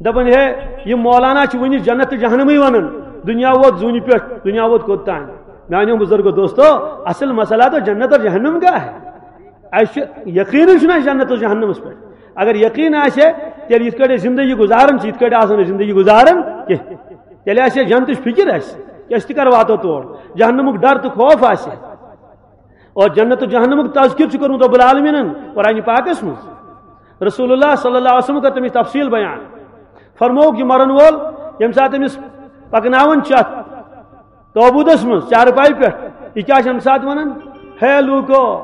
دَپان، ہے، یہِ مولانا چھُ وٕنہِ جنت تہٕ جہنمٕے وَنان۔ دُنیا ووت زوٗنہِ پٮ۪ٹھ، دُنیا ووت کوٚت تام؟ میٛانیو بُزرگو دوستو، اصل مسئلہ تو جنت اور جہنم کا ہے۔ اَسہِ چھُ یقیٖنٕے چھُنہٕ اَسہِ جنت و جہنمس پٮ۪ٹھ۔ اگر یقیٖن آسہِ ہے، تیٚلہِ یِتھ کٲٹھۍ أسۍ زندگی گُزاران چھِ، یِتھ کٲٹھۍ آسو نہٕ زندگی گُزاران کینٛہہ۔ تیٚلہِ آسہِ ہے جنتٕچ فِکر اَسہِ، کہِ أسۍ تہِ کر واتو تور۔ جہنمُک ڈر تہٕ خوف آسہِ ہے۔ اور جنت و جہنمُک تذکر چھُ کوٚرمُت رب العالمیٖنن قرآنِ پاکس منٛز۔ رسول اللہ صلی اللہ علیہ وسلم کٔر تَمِچ تفصیٖل بیان۔ فرمووُکھ، یہِ مرن وول، ییٚمہِ ساتہٕ أمِس پکناوان چھِ اَتھ تابوٗتس منٛز چارپایہِ پٮ۪ٹھ، یہِ کیٛاہ چھِ اَمہِ ساتہٕ وَنان؟ ہے لوٗکو،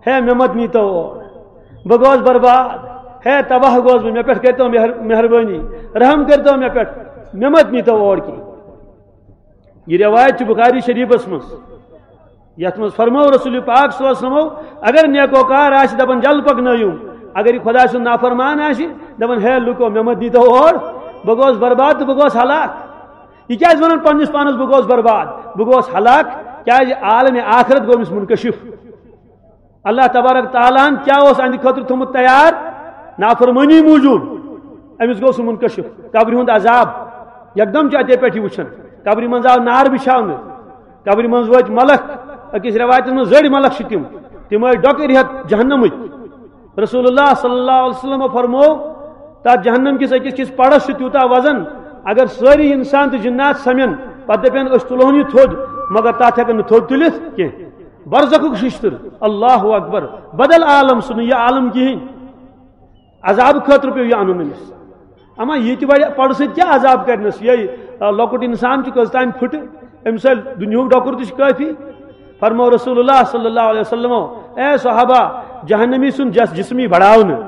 ہے مےٚ مت نیٖتو اور، بہٕ گوس برباد، ہے تباہ گوس بہٕ، مےٚ پٮ۪ٹھ کٔرۍتو مہر-، مہربٲنی، رحم کٔرۍتو مےٚ پٮ۪ٹھ، مےٚ مت نیٖتو اور کینٛہہ۔ یہِ روایت چھِ بخاری شریفس منٛز، یتھ منٛز فرموو رسول پاک صلی اللہ علیہ وسلمو، اگر نیکوکار آسہِ دپان جل پکنٲیِو، اگر یہِ خۄداے سُنٛد نافرمان آسہِ دپان، ہے لوٗکو، مےٚ مت دیٖتو اور، بہٕ گوس برباد تہٕ بہٕ گوس ہلاک۔ یہِ کیٛازِ ونان پننِس پانس بہٕ گوس برباد، بہٕ گوس ہلاک؟ کیٛازِ عالمِ آخرت گوٚو أمِس منکشف۔ اللہ تبارک تعالیٰ ہن کیٛاہ اوس أہنٛدِ خٲطرٕ تھوٚمُت تیار؟ نافرمٲنی موٗجوٗب۔ أمِس گوٚو سُہ منکشف، قبرِ ہُنٛد عذاب۔ یکدم چھُ اَتے پٮ۪ٹھ یہِ وٕچھان، قبرِ منٛز آو نار بِچھاونہٕ، قبرِ منٛز وٲتۍ ملک، أکِس رٮ۪وایتَس منٛز زٔڑۍ ملک چھِ تِم، تِم ٲسۍ ڈۄکہٕ رِہَتھ جہنمٕکۍ۔ رسول اللہ صلی اللہ علیہ وسلم فرمو، تتھ جہنم کِس أکِس کِس پڑس چھُ تیوٗتاہ وزن، اگر سٲری انسان تہٕ جنات سمن، پتہٕ دپن أسۍ تُلہون یہِ تھوٚد، مگر تتھ ہٮ۪کن نہٕ تھوٚد تُلِتھ کینٛہہ۔ برزخُک ششتٕر، اللہ اکبر، بدل عالم، سُہ نہٕ یہِ عالم کِہیٖنۍ۔ عذاب خٲطرٕ پیوٚو یہِ انُن أمِس۔ اما یہِ تہِ وڑِ پڑٕ سۭتۍ کیٛاہ عذاب کرنس؟ یہِ، آ، لۄکُٹ انسان چھُ کٔژ تام پھٕٹہٕ، أمِس سۭتۍ دُنیہُک ڈۄکُر تہِ چھُ کٲفی۔ فرمو رسول اللہ صلی اللہ علیہ وسلمو، اے صحابہ، جہنمی سُنٛد جس-، جسمی بڑاونہٕ،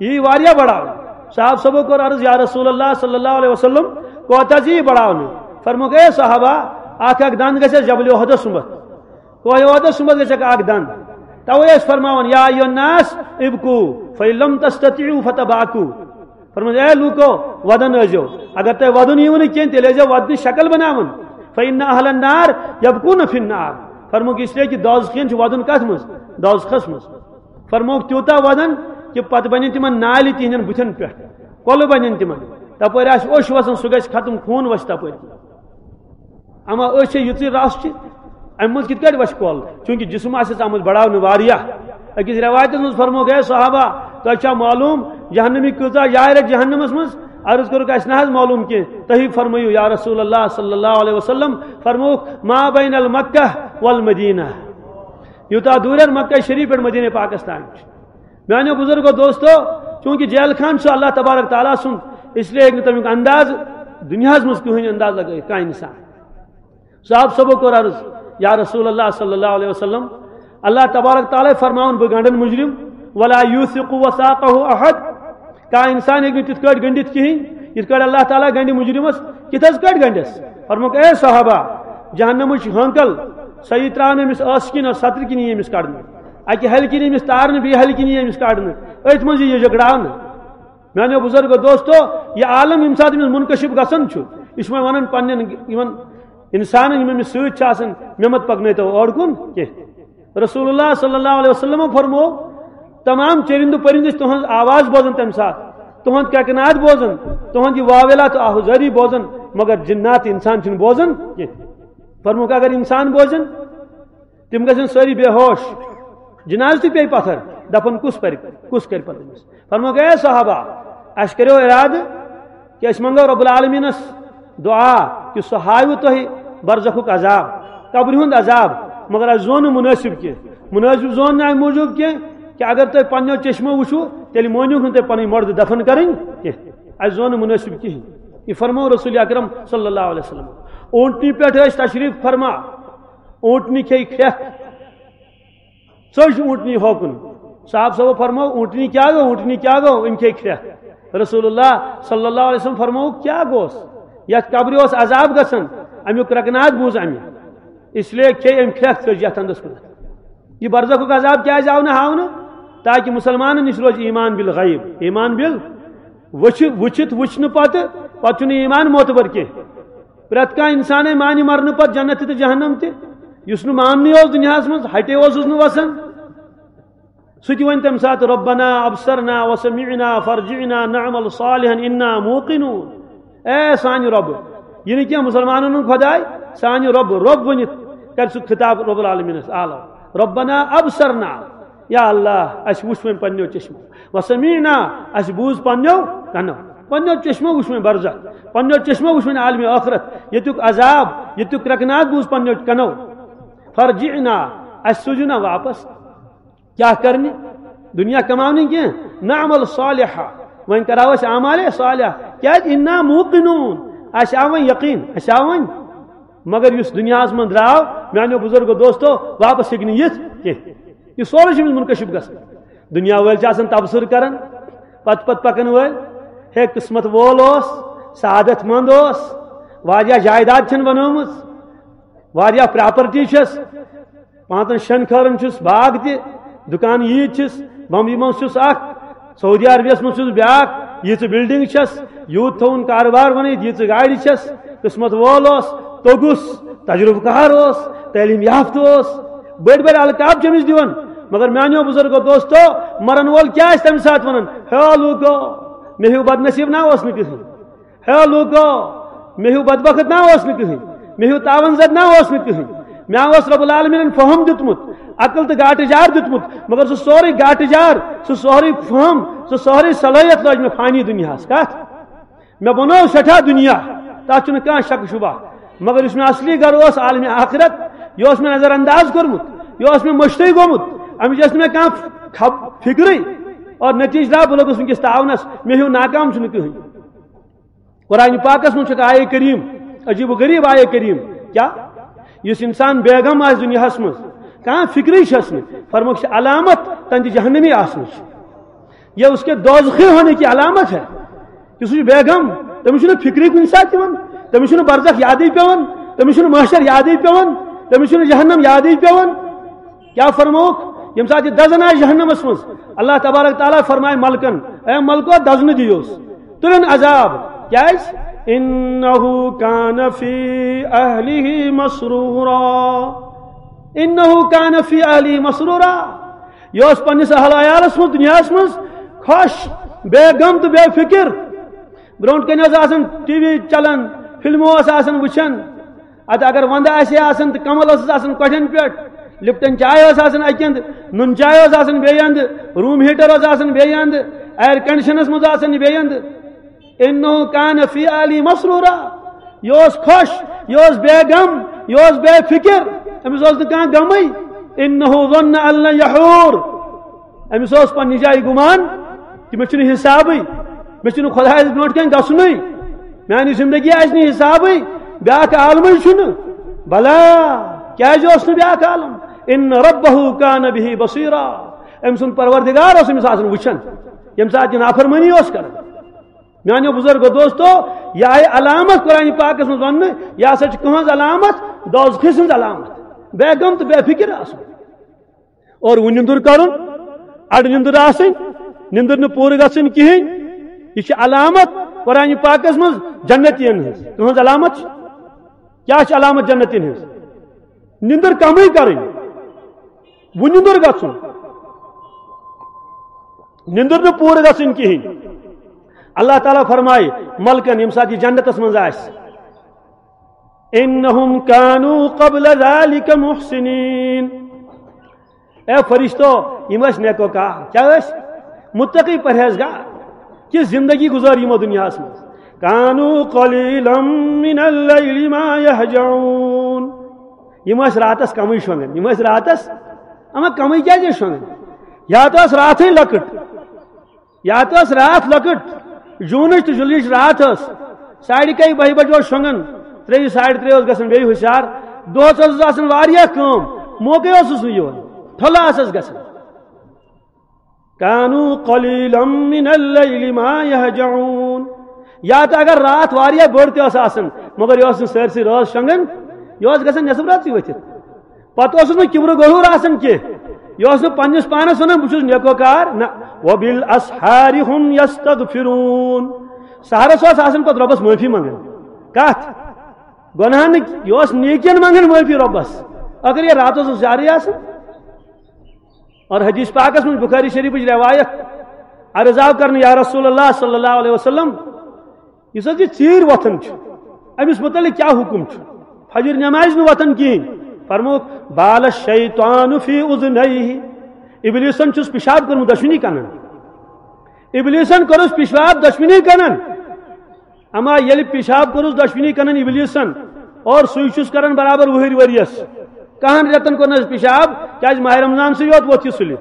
یی واریاہ بڑاونہٕ۔ صحابہ صٲبو کوٚر عرض، یا رسول اللہ صلی اللہ علیہ وسلم، کوتاہ زِ یی بڑاونہٕ؟ فرموکھ، اے صحابہ، اکھ اکھ دند گژھِ اَسہِ جبل احدس سُمبتھ۔ کوہ احدس سُمبتھ گژھِ اکھ اکھ دند۔ توے ٲسۍ فرماوان، یا ایھا الناس ابکو فإن لم تستطیعوا فتباکو۔ فرمووُن، اے لوٗکو، وَدَن ٲسۍزیو۔ اگر تۄہہِ وَدُن یِیوٕ نہٕ کینٛہہ، تیٚلہِ ٲسۍزیو وَدنٕچ شکل بناوان۔ فإن أهل النار يبكون في النار۔ فرمووُکھ، اس لیے کہِ دوزخین چھِ وَدُن کَتھ منٛز؟ دوزخس منٛز۔ فرمووُکھ، تیوٗتاہ وَدَن کہِ پَتہٕ بَنن تِمَن نالہِ تِہنٛدٮ۪ن بُتھٮ۪ن پٮ۪ٹھ۔ کۄلہٕ بَنن تِمَن۔ تَپٲرۍ آسہِ اوٚش وَسان، سُہ گژھِ ختم، خوٗن وَسہِ تَپٲرۍ۔ اما أسۍ چھِ یِژٕے رژھ چھِ، اَمہِ منٛز کِتھ کٲٹھۍ وَسہِ کۄل؟ چوٗنٛکہِ جسم آسٮ۪س آمُت بڑاونہٕ واریاہ۔ أکِس رٮ۪وایتَس منٛز فرمووُکھ، اے صحابہ، تۄہہِ چھا معلوٗم جہنمی کۭژاہ جایہِ رَٹہِ جہنمَس منٛز؟ عرض کوٚرُکھ، اَسہِ نہ حظ معلوٗم کینٛہہ، تُہی فرمٲیِو یا رسول اللہ صلی اللہ علیہ وسلم۔ فرمووُکھ، ما بین المکہ والمدینہ، یوٗتاہ دوٗرٮ۪ن مکہ شریف پٮ۪ٹھ مدینہ پاکستان چھُ۔ میانیو بزرگو دوستو، چوٗنٛکہِ جیل خان چھُ اللہ تبارک تعالیٰ سُنٛد، اس لیے ہیٚکہِ نہٕ تَمیُک انداز دُنیاہَس منٛز کٕہٕنۍ انداز لگٲیِتھ کانٛہہ انسان۔ صاحب صٲبو کوٚر عرض، یا رسول اللہ صلی اللہ علیہ وسلم، اللہ تبارک تعالیٰ فرماوُن، بہٕ گنڈن مجرم، ولا یوثق وثاقہ احد، کانٛہہ انسان ہیٚکہِ نہٕ تِتھ کٲٹھۍ گنڈِتھ کِہیٖنۍ، یِتھ کٲٹھۍ اللہ تعالیٰ گنڈِ مجرمس۔ کِتھ حظ کٲٹھۍ گنڈٮ۪س؟ فرمووُکھ، اے صحابہ، جہنمٕچ ہٲنکل، سۄ یی ترٛاونہٕ أمِس ٲسہٕ کِنۍ اور سترِ کِنۍ یی أمِس کڑنہٕ، اکہِ ہلہِ کِنۍ أمِس تارنہٕ، بیٚیہِ ہلہِ کِنۍ یی أمِس کڑنہٕ، أتھۍ منٛز یی یہِ جگڑاونہٕ۔ میانیو بزرگو دوستو، یہِ عالم ییٚمہِ ساتہٕ أمِس منکشف گژھان چھُ، یہِ چھُ وۄنۍ ونان پننٮ۪ن یِمن انسانن، یِم أمِس سۭتۍ چھِ آسان، مےٚ مت پکنٲیتو اورٕ کُن کینٛہہ۔ رسول اللہ صلی اللہ علیہ وسلم فرمو، تمام چرندٕ پرندٕ چھِ تُہنٛز آواز بوزان تمہِ ساتہٕ، تُہنٛد کیکناد بوزان، تُہنٛد یہِ واویلا تہٕ آہوزٲری بوزان، مگر جنات انسان چھِنہٕ بوزان کینٛہہ۔ فرموکھ، اگر انسان بوزن، تِم گژھن سٲری بے ہوش۔ جنازٕ تہِ پیٚیہِ پتھر، دفن کُس پرِ، کُس کرِ پتہٕ أمِس؟ فرمووُکھ، اے صحابہ، اَسہِ کریو ارادٕ کہِ أسۍ منٛگو رب العالمینس دعا کہِ سُہ ہاوِ تۄہہِ برزخُک عذاب، قبرِ ہُنٛد عذاب، مگر اَسہِ زون نہٕ منٲسِب کینٛہہ۔ منٲسِب زون نہٕ اَمہِ موٗجوٗب کینٛہہ کہِ اگر تُہۍ پننیو چشمو وٕچھِو، تیٚلہِ مٲنِو نہٕ تُہۍ پنٕنۍ مۄردٕ دفن کرٕنۍ کینٛہہ۔ اَسہِ زون نہٕ منٲسِب کِہیٖنۍ۔ یہِ فرموو رسول اکرم صلی اللہ علیہ وسلم۔ اوٗنٹنہِ پٮ۪ٹھ ٲسۍ تشریف فرما، اوٗنٹنہِ کھیٚیہِ کھرٛٮ۪کھ، ژٔج اوٗنٹنہِ ہوکُن۔ صاحب صٲبو فرموو، اوٗنٹنہِ کیٛاہ گوٚو؟ اوٗنٹنہِ کیٛاہ گوٚو؟ أمۍ کھیٚیہِ کھرٛٮ۪کھ۔ رسول اللہ صلی اللہ علیہ وسلم فرمووُکھ، کیٛاہ گوس؟ یَتھ قبرِ اوس عذاب گژھان، اَمیُک رکنات بوٗز اَمہِ، اس لیے کھیٚیہِ أمۍ کھرٛٮ۪کھ، ژٔج یَتھ اندس کُن۔ یہِ برزخُک عذاب کیٛازِ آو نہٕ ہاونہٕ؟ تاکہِ مسلمانن نِش روزِ ایمان بالغیب، ایمان بال وٕچھِ-، وٕچھِتھ وٕچھنہٕ پتہٕ، پتہٕ چھُنہٕ ایمان معتبر کینٛہہ۔ پرٛٮ۪تھ کانٛہہ انسانے مانہِ مرنہٕ پتہٕ جنت تہِ تہٕ جہنم تہِ۔ یُس نہٕ ماننٕے اوس دُنیاہس منٛز، ہٹے اوسُس نہٕ وسان، سُہ تہِ وَنہِ تَمہِ ساتہٕ، ربنا ابصرنا وسمعنا فارجعنا نعمل صالحا انا موقنون۔ اے سانہِ رۄبہٕ، یہِ نہٕ کینٛہہ مُسلمانن ہُنٛد خۄداے، سانہِ رۄبہٕ، رۄب ؤنِتھ کرِ سُہ خطاب رب العالمینس اعلیٰ، ربنا ابصرنا، یا اللہ، اَسہِ وُچھ وۄنۍ پننیو چشمو، وسمعنا، اَسہِ بوٗز پننیو کنو، پننیو چشمو وُچھ وۄنۍ برزخ، پننیو چشمو وُچھ وۄنۍ عالمِ ٲخرت، ییٚتیُک عذاب، ییٚتیُک کرٛٮ۪کناد بوٗز پننیو کنو۔ فرجعنا، اَسہِ سوٗزِو نا واپس۔ کیٛاہ کرنہِ؟ دُنیا کماونہٕ کینٛہہ، نعمل صالحا، وۄنۍ کرو أسۍ اعمالِ صالح، کیٛازِ انا موقنون، اَسہِ آو وۄنۍ یقین، اَسہِ آو وۄنۍ۔ مگر یُس دُنیاہس منٛز درٛاو، میانیو بزرگو دوستو، واپس ہیٚکہِ نہٕ یِتھ کینٛہہ۔ یہِ سورُے چھُ أمِس منکشف گژھان۔ دُنیا وٲلۍ چھِ آسان تبصرٕ کران، پتہٕ پتہٕ پکن وٲلۍ، ہے قسمت وول اوس، سعادت مند اوس، واریاہ جائیداد چھَن بنٲومٕژ، واریاہ پراپرٹی چھَس، پانٛژن شٮ۪ن خٲرن چھُس باغ تہِ، دُکان عیٖد چھِس، بمبیہِ منٛز چھُس اکھ، سعودی عربیس منٛز چھُس بیٛاکھ، ییٖژٕ بلڈنگ چھَس، یوٗت تھوٚوُن کارٕبار بنٲیِتھ، ییٖژٕ گاڑِ چھَس، قسمت وول اوس، توٚگُس، تجربہٕ کار اوس، تعلیٖم یافتہٕ اوس، بٔڑۍ بٔڑۍ القاب چھِ أمِس دِوان۔ مگر میانیو بزرگو دوستو، مرن وول کیٛاہ آسہِ تمہِ ساتہٕ ونان، ہے لوٗکو، مےٚ ہیوٗ بدنصیٖب نا اوس نہٕ کٕہٕنۍ۔ ہے لوٗکو، مےٚ ہیوٗ بدبخت نا اوس نہٕ کٕہٕنۍ، مےٚ ہیوٗ تاوان زد نا اوس نہٕ کٕہٕنۍ۔ مےٚ اوس رب العالمینن فہم دیُتمُت، عقل تہٕ گاٹہٕ جار دیُتمُت، مگر سُہ سورُے گاٹہٕ جار سُہ سورُے فہم، سُہ سورُے صلٲحیت لٲج مےٚ فانی دُنیاہَس۔ کَتھ؟ مےٚ بنوو سٮ۪ٹھاہ دُنیا، تَتھ چھُنہٕ کانٛہہ شک شبہ۔ مگر یُس مےٚ اصلی گرٕ اوس عالمِ آخرت، یہِ اوس مےٚ نظر انداز کوٚرمُت، یہِ اوس مےٚ مٔشتٕے گوٚمُت، اَمِچ ٲس نہٕ مےٚ کانٛہہ خب-، فِکرٕے۔ اور نتیجہ درٛاو، بہٕ لوٚگُس وٕنکیٚس تاونَس، مےٚ ہیوٗ ناکام چھُنہٕ کٕہٕنۍ۔ قرآن پاکس منٛز چھُ آیے کریم، عجیب و غریب آیے کریم۔ کیا؟ یُس انسان بیگم آسہِ دُنیاہس منٛز، کانٛہہ فکرٕے چھس نہٕ، فرموکھ چھِ علامت تہنٛدِ جہنمی آسنٕچ۔ یہ اس کے دوزخی ہونے کی علامت ہے کہ سُہ چھُ بیگم، تٔمِس چھُنہٕ فکرٕے کُنہِ ساتہٕ یِوان، تٔمِس چھُنہٕ برزخ یادٕے پٮ۪وان، تٔمِس چھُنہٕ محشر یادٕے پٮ۪وان، تٔمِس چھُنہٕ جہنم یادٕے پٮ۪وان۔ کیا فرمووُکھ؟ ییٚمہِ ساتہٕ یہِ دزن آسہِ جہنمس منٛز، اللہ تبارک تعالیٰ فرمایہِ ملکن، اے ملکو، دزنہٕ دِیوس، تُلِن عذاب۔ کیازِ؟ انہ کان فی اہلہ مسرورا۔ انہ کان فی اہلہ مسرورا۔ یہِ اوس پننِس اہل عیالس منٛز، دُنیاہس منٛز خۄش، بے غم تہٕ بے فکر۔ برونٛٹھ کنہِ اوس آسان ٹی وی چلان، فلمہٕ اوس آسان وٕچھان۔ ادٕ اگر وندٕ آسہِ ہے آسان تہٕ کمل ٲسٕس آسان کۄٹھٮ۪ن پٮ۪ٹھ، لپٹن چاے ٲس آسان اکہِ اندٕ، نُن چاے ٲس آسان بیٚیہِ اندٕ، روٗم ہیٹر اوس آسان بیٚیہِ اندٕ، ایئر کنڈیشنس منٛز آسان یہِ بیٚیہِ اندٕ۔ انہ کان فی اہلہ مسرورا۔ یہِ اوس خۄش، یہِ اوس بے غم، یہِ اوس بے فکر، أمِس اوس نہٕ کانٛہہ غمٕے۔ انہ ظن ان لن یحور۔ أمِس اوس پننہِ جایہِ گُمان کہِ مےٚ چھُنہٕ حسابٕے، مےٚ چھُنہٕ خۄدایَس برونٛٹھ کَنہِ گژھُنٕے، میٛانہِ زندگی آسہِ نہٕ حسابٕے، بیٛاکھ عالمٕے چھُنہٕ۔ بلا، کیٛازِ اوس نہٕ بیٛاکھ عالم؟ ان ربہ کان بہ بصیرا۔ أمۍ سُنٛد پروردگار اوس أمِس آسان وٕچھان، ییٚمہِ ساتہٕ یہِ نافرمٲنی اوس کران۔ میٛانیو بزرگو دوستو، یہِ آیہِ علامت قرآن پاکس منٛز وننہٕ، یہِ ہسا چھِ کٕہٕنٛز علامت؟ دوزخہٕ سٕنٛز علامت، بے غم تہٕ بے فکر آسُن۔ اور وہ نندر کرن، اڑ نندر آسن، نندر نہ پور گسن کہین۔ یہ چھ علامت قرآن پاکس منٛز جنتین ہنٛز۔ تہنٛز علامت چھ؟ کیا چھ علامت جنتین ہنٛز؟ نندر کمے کرن، وہ نندر گژھن، نندر نہ پور گژھن کہین۔ اللہ تعالیٰ فرمائے ملکن، یم ساتھ یہ جنتس منٛز آسہِ، انہم کانوا قبل ذلک محسنین۔ اے فرشتو، یم ٲسۍ نیکوکار۔ کیا ٲسۍ؟ متقی پرہیزگار۔ کس زندگی گزار یمو دنیاہس منٛز؟ کانوا قلیلا من اللیل ما یہجعون۔ یم ٲسۍ راتس کمٕے شۄنگان۔ یم ٲسۍ راتس، اما کمٕے کیازِ ٲسۍ شۄنگان؟ یا تہٕ ٲس راتھٕے لۄکٕٹ، یا تہٕ ٲس راتھ لۄکٕٹ، جوٗنٕچ تہٕ جُلایِچ راتھ ٲس۔ ساڑِ کاہہِ بَہہِ بجہِ اوس شۄنٛگان، ترٛیٚیہِ ساڑِ ترٛےٚ اوس گژھان بیٚیہِ ہُشار۔ دۄہَس ٲسٕس آسان واریاہ کٲم، موقعے اوسُس نہٕ یِوان، ٹھۄلہٕ آسَس گژھان۔ کانوا قلیلا من اللیل ما یہجعون۔ یا تہٕ اگر راتھ واریاہ بٔڑ تہِ ٲس آسان، مگر یہِ اوس نہٕ سٲرسٕے رٲژ شۄنٛگان، یہِ اوس گژھان نٮ۪صٕف رٲژٕے ؤتھِتھ۔ پتہٕ اوسُس نہٕ کِبرٕ غرور آسان کینٛہہ۔ یہِ اوس نہٕ پننِس پانس ونان، "بہٕ چھُس نیکوکار"، نہ۔ "وبالاسحار هم یستغفرون"۔ سحرس اوس آسان پتہٕ رۄبس معٲفی منٛگان۔ کتھ؟ گۄناہ نہٕ، یہِ اوس نیکین منٛگان معٲفی رۄبس۔ اگر یہِ راتس اوس جارٕے آسان۔ اور حدیث پاکس منٛز، بخاری شریفٕچ روایت، عرض آو کرنہٕ، "یا رسول اللہ صلی اللہ علیہ وسلم، یُس حظ یہِ ژیٖرۍ وۄتھان چھُ، أمِس مُتعلِق کیٛاہ حُکُم چھُ؟ فجر نٮ۪مازِ نہٕ وۄتھان کِہیٖنۍ۔" فرمووُکھ، "بال الشیطان فی اذنیہ"، ابلیسن چھُس پِشاب کوٚرمُت دۄشوٕنی کنن۔ ابلیسن کوٚرُس پِشاب دۄشوٕنی کنن۔ اما ییٚلہِ پِشاب کوٚرُس دۄشوٕنی کنن ابلیسن، اور سُے چھُس کران برابر وُہٕرۍ ؤرۍیَس، کہن رٮ۪تن کوٚر نہٕ حظ پِشاب، کیازِ ماہِ رمضان سٕے یوت ووت یہِ سُلہِ۔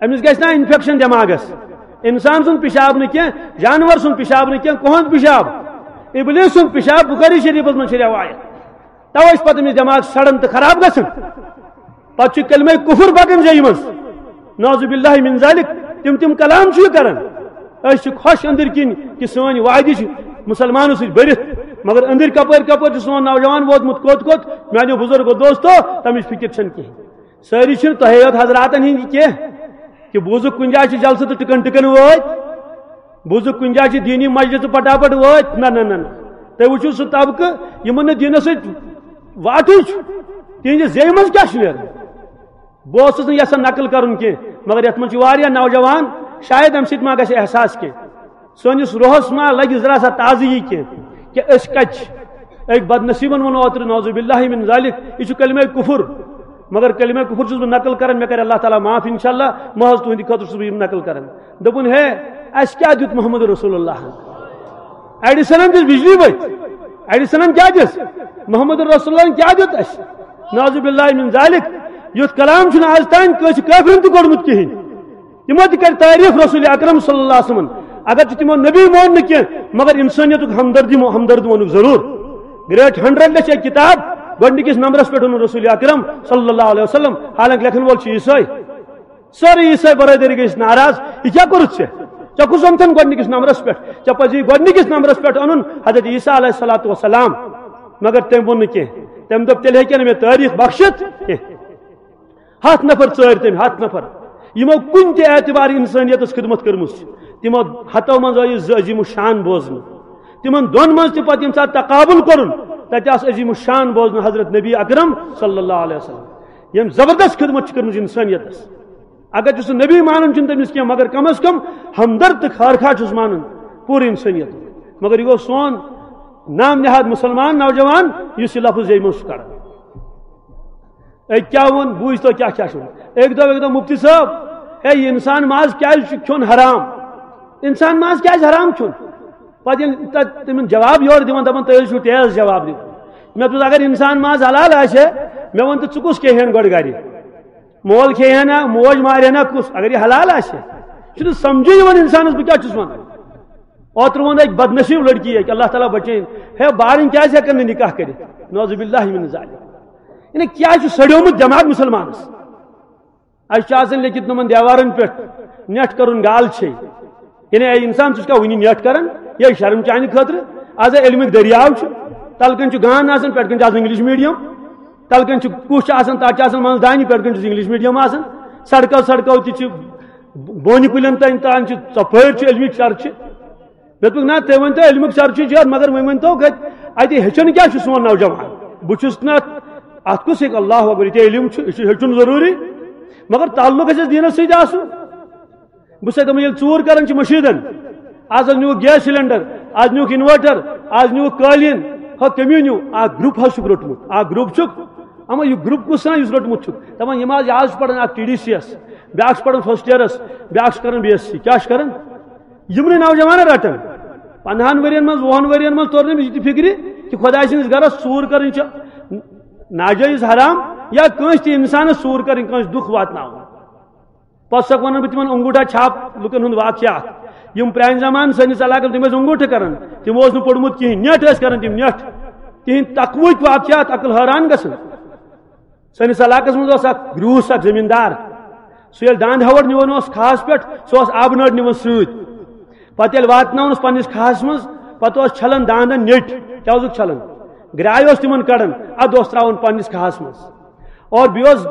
أمِس گژھِ نا انفیکشن دٮ۪ماغس؟ انسان سُنٛد پِشاب نہٕ کینٛہہ، جانور سُنٛد پِشاب نہٕ کینٛہہ، کُہُنٛد پِشاب؟ ابلیس سُنٛد پِشاب۔ بخاری شریفس منٛز چھِ رٮ۪وایت۔ توے چھُ پتہٕ أمِس دٮ۪ماغ سڑان تہٕ خراب گژھان۔ پتہٕ چھُ کلمہ کفر پکان زیٚیہِ منٛز۔ نعوذ باللہ من ذالک۔ تِم تِم کلام چھُ یہِ کران۔ أسۍ چھِ خۄش أنٛدٕرۍ کِنۍ کہِ سٲنۍ وادی چھِ مسلمانو سۭتۍ بٔرِتھ، مگر أنٛدٕرۍ کپٲرۍ کپٲرۍ چھُ سون نوجوان ووتمُت کوٚت کوٚت؟ میانیو بزرگو دوستو، تمِچ فکر چھنہٕ کینٛہہ۔ سٲری چھِنہٕ تۄہے یوت حضراتن ہِنٛدۍ کینٛہہ کہِ بوٗزُکھ کُنہِ جایہِ چھِ جلسہٕ تہٕ ٹِکن ٹِکن وٲتۍ، بوٗزُکھ کُنہِ جایہِ چھِ دیٖنی مجلسہٕ پٹاپٹ وٲتۍ۔ نہ، نہ، نہ، نہ۔ تُہۍ وٕچھِو سُہ طبقہٕ یِمن نہٕ دیٖنس سۭتۍ واٹھٕے چھُ، تِہنٛدِ زیٚیہِ منٛز کیٛاہ چھُ نیران؟ بہٕ اوسُس نہٕ یژھان نقل کرُن کینٛہہ، مگر یتھ منٛز چھِ واریاہ نوجوان، شاید امہِ سۭتۍ ما گژھِ احساس کینٛہہ۔ سٲنِس روحس ما لگہِ ذرا سا تازگی کینٛہہ کہِ أسۍ کتہِ چھِ؟ أکۍ بدنصیبن ووٚن اوترٕ، نعوذ باللہ من ذالک، یہِ چھُ کلمہ کفر۔ مگر کلمہ کفر چھُس بہٕ نقل کران، مےٚ کرِ اللہ تعالیٰ معاف انشاءاللہ، محض تُہنٛدِ خٲطرٕ چھُس بہٕ یِم نقل کران۔ دوٚپُن، ہے، اَسہِ کیٛاہ دیُت محمد رسول اللہ؟ ایڈیسنن دِژ بجلی ؤتھۍ۔ ایڈیسنن کیٛاہ دِژ؟ محمد رسول اللہ کیٛاہ دیُت اَسہِ؟ نعوذ باللہ من ذالک۔ یُتھ کلام چھُنہٕ آز تام کٲنٛسہِ کٲفرن تہِ کوٚرمُت کِہیٖنۍ۔ تِمو تہِ کرِ تعریف رسول اکرم صلی اللہ علیہ وسلم۔ اگر چھُ تِمو نبی مون نہٕ کینٛہہ، مگر انسانیتُک ہمدردی، ہمدرد ووٚنُکھ ضروٗر۔ گریٹ ہنڈریڈ لیٚچھ اکھ کتاب، گۄڈٕنِکِس نمبرس پٮ۪ٹھ ووٚنُن رسول اکرم صلی اللہ علیہ وسلم، حالانکہ لیکھن وول چھُ عیسائی۔ سٲرٕے عیسائی برادری گٔے ناراض، یہِ کیٛاہ کوٚرُتھ ژےٚ؟ ژےٚ کُس اوٚنتھن گۄڈٕنِکِس نمبرس پٮ۪ٹھ؟ ژےٚ پزی گۄڈٕنِکِس نمبرس پٮ۪ٹھ اَنُن حضرت عیسیٰ علیہ الصلوۃ والسلام۔ مگر تٔمۍ ووٚن نہٕ کینٛہہ۔ تٔمۍ دوٚپ، تیٚلہِ ہیٚکہِ نہٕ مےٚ تٲریٖخ بخشِتھ کینٛہہ۔ ہتھ نفر ژٲرۍ تٔمۍ، ہتھ نفر، یِمو کُنہِ تہِ اعتبار انسانیتس خدمت کٔرمٕژ چھِ۔ تِمو ہتو منٛز آیہِ زٕ عظیم الشان بوزنہٕ۔ تِمن دۄن منٛز تہِ پتہٕ ییٚمہِ ساتہٕ تقابل کوٚرُن، تتہِ آس عظیم الشان بوزنہٕ حضرت نبی اکرم صلی اللہ علیہ وسلم، ییٚمۍ زبردست خدمت چھِ کٔرمٕژ انسانیتس۔ اگر چھُ سُہ نبی مانان چھُنہٕ تٔمِس کینٛہہ، مگر کم از کم ہمدرد تہٕ خارخواہ چھُس مانان پوٗرٕ انسانیت۔ مگر یہِ گوٚو سون نام نہاد مسلمان نوجوان، یُس یہِ لفظ ییٚمہِ منٛز چھُ کڑان۔ أکۍ کیٛاہ ووٚن؟ بوٗزۍ تو کیٛاہ کیٛاہ چھُ ووٚنمُت۔ أکۍ دوٚپ، أکۍ دوٚپ، "مفتی صٲب، ہے، یہِ انسان ماز کیٛازِ چھُ کھیوٚن حرام؟ انسان ماز کیٛازِ حرام کھیوٚن؟" پتہٕ ییٚلہِ تتھ تِمن جواب یورٕ دِوان، دپان، "تُہۍ حظ چھِو تیز جواب دِوان۔" مےٚ دوٚپُس، "اگر انسان ماز حلال آسہِ ہے، مےٚ وَن تہٕ ژٕ کُس کھیٚیہِ ہن گۄڈٕ گرِ؟ مول کھیٚیہِ ہا نا، موج مارِ ہا نا کُس، اگر یہِ حلال آسہِ ہے؟" چھُنہٕ سمجھے یِوان انسانس، بہٕ کیٛاہ چھُس ونان۔ اوترٕ ووٚن أکۍ بدنصیب لڑکی اکۍ، اللہ تعالیٰ بچٲیِن، ہے، بارٕنۍ کیٛازِ ہٮ۪کن نہٕ نکاح کٔرِتھ؟ نعوذ باللہ من ذالک۔ یعنی کیٛاہ چھُ سڑیومُت دٮ۪ماغ مسلمانس؟ اَسہِ چھُ آسان لیکھِتھ نوٚمَن دیوارَن پٮ۪ٹھ، "نٮ۪ٹھ کَرُن گال چھے۔" یعنی، اے انسان، ژٕ چھُکھا وٕنہِ نٮ۪ٹھ کَران؟ یہِ ہے شرم چانہِ خٲطرٕ۔ آز ہے علمٕکۍ دٔریاو چھُ، تَلہٕ کَنۍ چھُ گان آسان، پٮ۪ٹھٕ کَنۍ چھُ آسان انگلش میڈیم، تَلہٕ کَنۍ چھُ کُس چھُ آسان، تَتھ چھُ آسان منٛز دانہِ، پٮ۪ٹھٕ کَنۍ چھُس انگلش میڈیم آسان۔ سڑکو سڑکو تہِ چھِ، بونہِ کُلٮ۪ن تام تام چھِ ژۄپٲرۍ چھُ علمٕکۍ چرچہِ۔ مےٚ دوٚپُکھ، "نہ، تُہۍ ؤنۍ تو علمُک چرچہِ چھُ یتھ، مگر وۄنۍ ؤنۍ تو کتہِ، اتہِ ہیٚچھان کیٛاہ چھُ سون نوجوان؟" بہٕ چھُس نہٕ اتھ، اتھ کُس ہیٚکہِ، اللہ اکبر، یہِ تہِ علم چھُ، یہِ چھُ ہیٚچھُن ضروٗری، مگر تعلق گژھِ اَسہِ دیٖنس سۭتۍ آسُن۔ بہٕ چھُسے دپان، ییٚلہِ ژوٗر کران چھِ مٔشیٖدن، از حظ نیوٗکھ گیس سلینڈر، از نیوٗکھ انوٲٹر، از نیوٗکھ قٲلیٖن، ہا کٔمِو نیوٗ؟ اکھ گروپ حظ چھُکھ روٚٹمُت، اکھ گروپ چھُکھ، اما یہِ گروپ کُس سان یُس روٚٹمُت چھُکھ؟ دپان، یِم حظ، یہِ حظ چھُ پران اکھ ٹی ڈی سی یس، بیٛاکھ چھُ پران فرسٹ ییرس، بیٛاکھ چھُ کران بی ایس سی، کیٛاہ چھُ کران؟ یِمنٕے نوجوانن رٹان۔ پندہن ؤرین منٛز، وُہن ؤرین منٛز توٚر نہٕ أمِس یہِ تہِ فِکرِ کہِ خۄداے سٕنٛدِس گرس ژوٗر کرٕنۍ چھِ ناجٲیز، حرام، یا کٲنٛسہِ تہِ انسانس ژوٗر کرٕنۍ، کٲنٛسہِ دُکھ واتناوُن۔ پتہٕ چھُسکھ ونان بہٕ تِمن انگوٗٹھا چھاپ لُکن ہُنٛد واقعات۔ یِم پرانہِ زمانہٕ سٲنِس علاقس، تِم ٲسۍ انگوٗٹھٕ کران، تِمو اوس نہٕ پوٚرمُت کِہینۍ، نٮ۪ٹھ ٲسۍ کران تِم، نٮ۪ٹھ۔ تِہنٛدۍ تقوہٕکۍ واقعات، عقل حٲران گژھان۔ سٲنِس علاقس منٛز اوس اکھ گریوٗس، اکھ زٔمیٖندار۔ سُہ ییٚلہِ دانٛد ہٮ۪وَر نِوان اوس کھاہَس پٮ۪ٹھ، سُہ اوس آبہٕ نٲر نِوان سۭتۍ۔ پتہٕ ییٚلہِ واتناوان اوس پننِس کھاہَس منٛز، پتہٕ اوس چھلان دانٛدن نیٚٹۍ۔ کیٛاہ اوسُکھ چھلان؟ گرٛاے اوس تِمن کڑان، ادٕ اوس ترٛاوان پننِس کھاہَس منٛز۔ اور بیٚیہِ اوس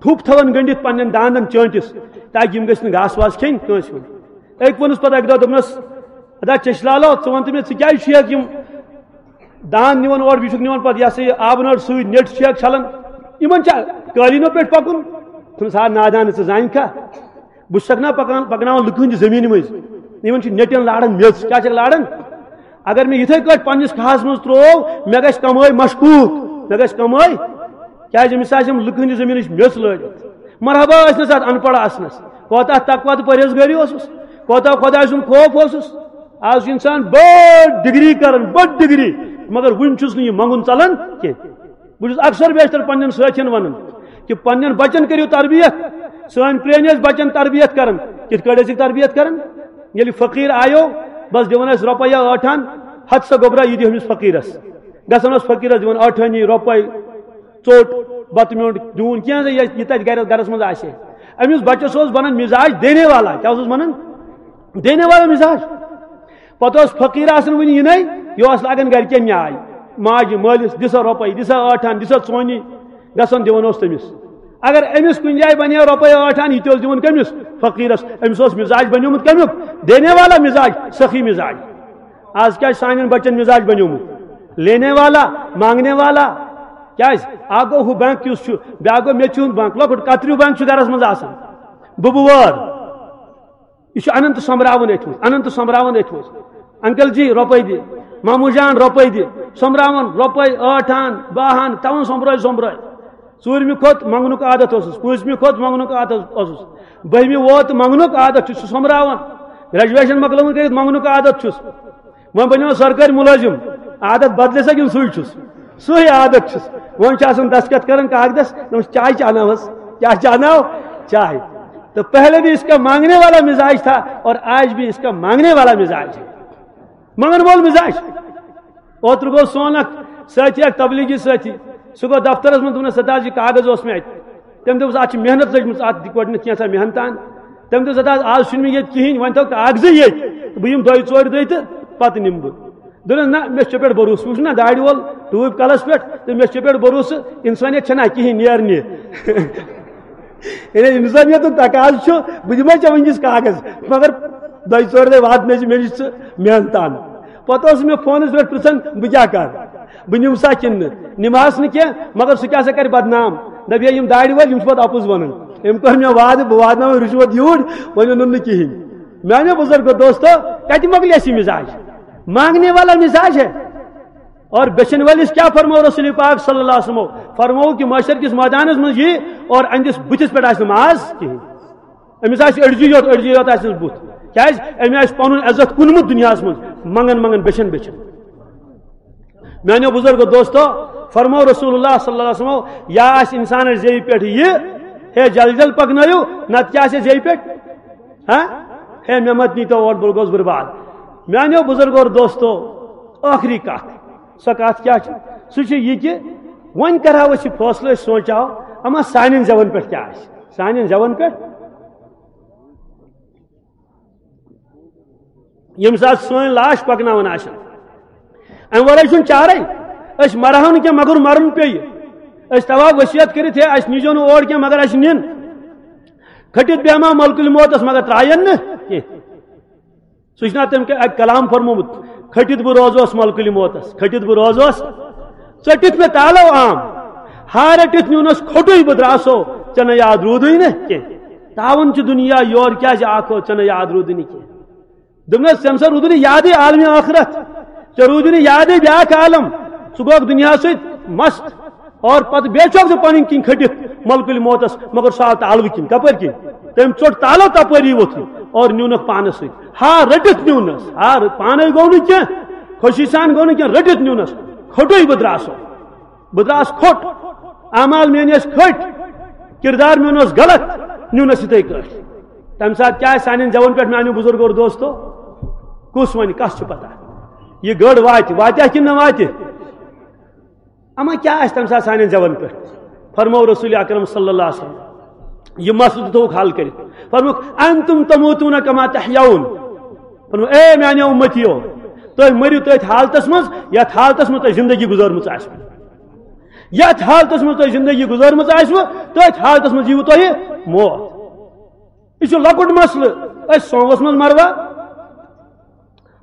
ٹھوٚپ تھاوان گٔنڈِتھ پننٮ۪ن دانٛدن چٲنٛٹِس، تاکہِ یِم گٔژھۍ نہٕ گاسہٕ واسہٕ کھیٚنۍ کٲنٛسہِ ہُنٛد۔ أکۍ ووٚنُس پتہٕ اکہِ دۄہ، دوٚپنس، "ادا چشہِ لالو، ژٕ وَن تہٕ مےٚ، ژٕ کیٛازِ چھُکھ یِم دانٛد نِوان اورٕ، بیٚیہِ چھُکھ نِوان پتہٕ، یہِ ہسا یہِ، آبہٕ نٲر سۭتۍ، نیٚٹ چھُکھ چھلان، یِمن چھا قٲلیٖنو پٮ۪ٹھ پکُن؟" دوٚپنس، "ہا نادان، ژٕ زانکھا، بہٕ چھُسکھ نا پکان، پکناوان لُکہٕ ہٕنٛدِ زٔمیٖنہِ مٔنٛزۍ، یِمن چھِ نیٚٹٮ۪ن لاران میٚژ، کیٛاہ چھکھ لاران؟ اگر مےٚ یِتھے کٲٹھۍ پننِس کھاہَس منٛز ترٛوو، مےٚ گژھِ کمٲے مشکوٗک، مےٚ گژھِ کمٲے، کیٛازِ أمِس آسہِ یِم لُکہٕ ہٕنٛدِ زٔمیٖنٕچ میٚژ لٲرِتھ۔" مرحبا ٲسنس اتھ ان پڑھ آسنس، کوتاہ تقویٰ تہٕ پرہیزگٲری اوسُس، کوتاہ خۄداے سُنٛد خوف اوسُس۔ آز چھُ انسان بٔڑ ڈگری کران، بٔڑ ڈگری، مگر وُنہِ چھُس نہٕ یہِ منٛگُن ژلان کینٛہہ۔ بہٕ چھُس اکثر بیشتر پننٮ۪ن سٲتھین ونان کہِ پننٮ۪ن بچن کٔرِو تربیت۔ سٲنۍ پرٲنۍ ٲسۍ بچن تربیت کران، کِتھ کٲٹھۍ ٲسِکھ تربیت کران؟ ییٚلہِ فقیٖر آیو، بس دِوان ٲسۍ رۄپیہِ ٲٹھ آنہٕ، ہتہٕ سا گوٚبرا، یہِ دِ أمِس فقیٖرس۔ گژھان اوس فقیٖرس دِوان ٲٹھ آنہِ، رۄپے، ژوٚٹ، بتہٕ میوٚنٛڈ دیوٗن، کینٛہہ زِ یہِ، یہِ تتہِ گرِ، گرس منٛز آسہِ ہے۔ أمِس بچس اوس بنان مزاج دینے والا۔ کیٛاہ اوسُس بنان؟ دینے والا مزاج۔ پتہٕ اوس فقیٖر آسان وُنہِ یِنَے، یہِ اوس لاگان گرِکٮ۪ن نیاے۔ ماجہِ، مٲلِس، دِ سا رۄپَے، دِ سا ٲٹھ آنہٕ، دِ سا ژونی، گژھان دِوان اوس تٔمِس۔ اگر أمِس کُنہِ جایہِ بنے رۄپَے ٲٹھ آنہٕ، یہِ تہِ اوس دِوان کٔمِس؟ فقیٖرس۔ أمِس اوس مزاج بنیومُت کمیُک؟ دینے والا مزاج، سخی مزاج۔ آز کیٛاہ چھُ سانٮ۪ن بچن مزاج بنیومُت؟ لینے والا، مانگنے والا۔ کیٛازِ؟ اکھ گوٚو ہُہ بینک یُس چھُ، بیٛاکھ گوٚو میٚژِ ہُنٛد بینک، لۄکُٹ کتریو بینک چھُ گرس منٛز آسان۔ بُبہٕ وٲر۔ یہِ چھُ اننت سۄمبراوان أتھۍ منٛز، اننت سۄمبراوان أتھۍ منٛز۔ انکل جی، رۄپے دِ، ماموٗ جان، رۄپے دِ۔ سۄمبراوان رۄپے ٲٹھ آنہٕ، باہ آنہٕ، تھاوان سۄمبرٲے سۄمبرٲے۔ ژوٗرمہِ کھۄتہٕ منٛگنُک عادت اوسُس، پٲنٛژمہِ کھۄتہٕ منٛگنُک عادت اوسُس، بٔہمہِ ووت تہٕ منٛگنُک عادت چھُس، چھُس سۄمبراوان۔ گریجویشن مۄکلٲومٕژ کٔرِتھ منٛگنُک عادت چھُس۔ وۄنۍ بنیو سرکٲرۍ مُلٲزِم، عادت بدلے سا کِنہٕ سُے چھُس؟ سُے عادت چھُس۔ وۄنۍ چھُ آسان دستخط کران کاغذس، دَپان، "چائے چاہنا ہس، کیا چاہنا ہو؟ چائے۔" تو پہلے بھی اس کا مانگنے والا مزاج تھا اور آج بھی اس کا مانگنے والا مزاج ہے۔ منگن وول مزاج۔ اوترٕ گوٚو سون اکھ سٲتھی، اکھ تبلیغی سٲتھی، سُہ گوٚو دفترس منٛز، دوٚپنس، "سردار جی، کاغذ اوس مےٚ اتہِ۔" تٔمۍ دوٚپُس، "اتھ چھِ محنت لٔجمٕژ، اتھ دِ گۄڈٕنیتھ کینٛژھا محنت ان۔" تٔمۍ دوٚپُس، "ہتہٕ حظ، آز چھُنہٕ مےٚ ییٚتہِ کِہینۍ، وۄنۍ تھاو کاغذٕے ییٚتہِ، بہٕ یِمہٕ دۄیہِ ژورِ دۄہہِ تہٕ پتہٕ نِمہٕ بہٕ۔" دوٚپنس، "نہ، مےٚ چھُ ژےٚ پٮ۪ٹھ بھروسہٕ، وٕچھ نہ، دارِ وول ٹوٗپۍ کلس پٮ۪ٹھ، تہٕ مےٚ چھُ ژےٚ پٮ۪ٹھ بھروسہٕ، انسٲنیت چھےٚ نہ کِہینۍ نیرنہِ۔" یعنی انسٲنیتُک تقاضہٕ چھُ، بہٕ دِمے ژےٚ وٕنکیٚس کاغذ، مگر دۄیہِ ژورِ دۄہہِ واتنٲے زِ مےٚ نِش ژٕ محنت ان۔ پتہٕ اوس مےٚ فونس پٮ۪ٹھ پرژھان، بہٕ کیٛاہ کرٕ؟ بہٕ نِمہٕ سا کِنہٕ نہٕ؟ نِمہٕ ہس نہٕ کینٛہہ، مگر سُہ کیٛاہ سا کرِ بدنام؟ دپہِ ہے، یِم دارِ وٲلۍ، یِم چھِ پتہٕ اپُز ونان۔ أمۍ کوٚر مےٚ وعدٕ، بہٕ واتناوٕ رُشوت یوٗرۍ، وۄنۍ اوٚنُن نہٕ کِہینۍ۔ میانیو بُزرگو دوستو، کتہِ مۄکلہِ اَسہِ یہِ مزاج؟ مانگنے والا مزاج ہے۔ اور بیچن والس کیا فرمو رسول پاک صلی اللہ علیہ وسلم؟ فرمو کہ محشر کس میدانس منٛز یی اور أہندِس بُتھِس پٮ۪ٹھ آسہِ نہٕ ماز کِہینۍ۔ أمِس آسہِ أڑجہِ یوت، أڑجہِ یوت آسہِ أمِس بُتھ۔ کیازِ؟ أمۍ آسہِ پنُن عزت کُنمُت دُنیاہس منٛز، منگن منگن، بیچھن بیچھن۔ میانیو بُزرگو دوستو، فرمو رسول اللہ صلی اللہ علیہ وسلم، یا آسہِ انسانس زیوِ پٮ۪ٹھ یہِ، ہے جل جل پکنٲیِو، نتہٕ کیٛاہ آسہِ زیوِ پٮ۪ٹھ؟ ہاں؟ ہے مےٚ مت نیٖتو اور، بہٕ گوس برباد۔ میانیو بُزرگو اور دوستو، ٲخری کتھ، سۄ کتھ کیٛاہ چھِ؟ سُہ چھُ یہِ کہِ وۄنۍ کرہاو أسۍ یہِ فٲصلہٕ، أسۍ سونٛچہاو، اما سانٮ۪ن زٮ۪ون پٮ۪ٹھ کیٛاہ آسہِ؟ سانٮ۪ن زٮ۪ون پٮ۪ٹھ ییٚمہِ ساتہٕ سٲنۍ لاش پکناوان آسن۔ امہِ ورٲے چھُنہٕ چارے۔ أسۍ مرہو نہٕ کینٛہہ، مگر مرُن پیٚیہِ۔ أسۍ تھاوہو وصیت کٔرِتھ، ہے، اَسہِ نیٖزیو نہٕ اور کینٛہہ، مگر اَسہِ نِن۔ کھٔٹِتھ بیٚہما ملکُل موتس، مگر ترٛاین نہٕ کینٛہہ۔ سُہ چھُنہ تٔمۍ اَکہِ کلام فرمومُت، "کھٔٹِتھ بہٕ روزوس ملکُلِ موتس، کھٔٹِتھ بہٕ روزوس، ژٔٹِتھ مےٚ تالو عام، ہا رٔٹِتھ نیونس کھوٹُے بہٕ درٛاسو، ژےٚ نہ یاد روٗدُے نہٕ کینٛہہ۔ تاوَن چھُ دُنیا یور کیٛازِ آکھو، ژےٚ نہ یاد روٗدُے نہٕ کینٛہہ۔" دوٚپنس، "ژےٚ نہ سا روٗدُے نہٕ یادٕے عالمِ ٲخرت، ژےٚ روٗدُے نہٕ یادٕے بیٛاکھ عالم، ژٕ گوٚکھ دُنیاہس سۭتۍ مست۔" اور پتہٕ بیٚیہِ چھُکھ ژٕ پنٕنۍ کِنۍ کھٔٹِتھ ملکُل موتس، مگر سُہ آو تالوٕ کِنۍ۔ کپٲرۍ کِنۍ؟ تٔمۍ ژوٚٹ تالو تپٲری ووٚتھُن اور نیونکھ پانس سۭتۍ۔ ہا رٔٹِتھ نیونس، ہا ر-، پانے گوٚو نہٕ کینٛہہ، خوشی سان گوٚو نہٕ کینٛہہ، رٔٹِتھ نیونس۔ کھوٚٹُے بہٕ درٛاسو، بہٕ درٛاس کھوٚٹ، اعمال میٲنۍ ٲسۍ کھٔٹۍ، کردار میون اوس غلط، نیونس یِتھے کٲٹھۍ۔ تمہِ ساتہٕ کیٛاہ آسہِ سانٮ۪ن زٮ۪ون پٮ۪ٹھ، میانیو بُزرگو اور دوستو؟ کُس ونہِ، کس چھُ پتہ؟ یہِ گٔر واتہِ، واتیٛاہ کِنہٕ نہ واتہِ؟ اما کیٛاہ آسہِ تمہِ ساتہٕ سانٮ۪ن زٮ۪ون پٮ۪ٹھ؟ فرموو رسول اکرم صلی اللہ علیہ وسلم، یہِ مسلہٕ تہِ تھووُکھ حل کٔرِتھ۔ فرمووُکھ، "انتم تموتون کما تحیون۔" فرموو، "اے میانیو امتیو، تُہۍ مٔرِو تٔتھۍ حالتس منٛز، یتھ حالتس منٛز تۄہہِ زندگی گُزٲرمٕژ آسِوٕ۔ یتھ حالتس منٛز تۄہہِ زندگی گُزٲرمٕژ آسِوٕ، تٔتھۍ حالتس منٛز یِیِوٕ تۄہہِ موت۔" یہِ چھُ لۄکُٹ مسلہٕ۔ أسۍ سوموس منٛز مروا؟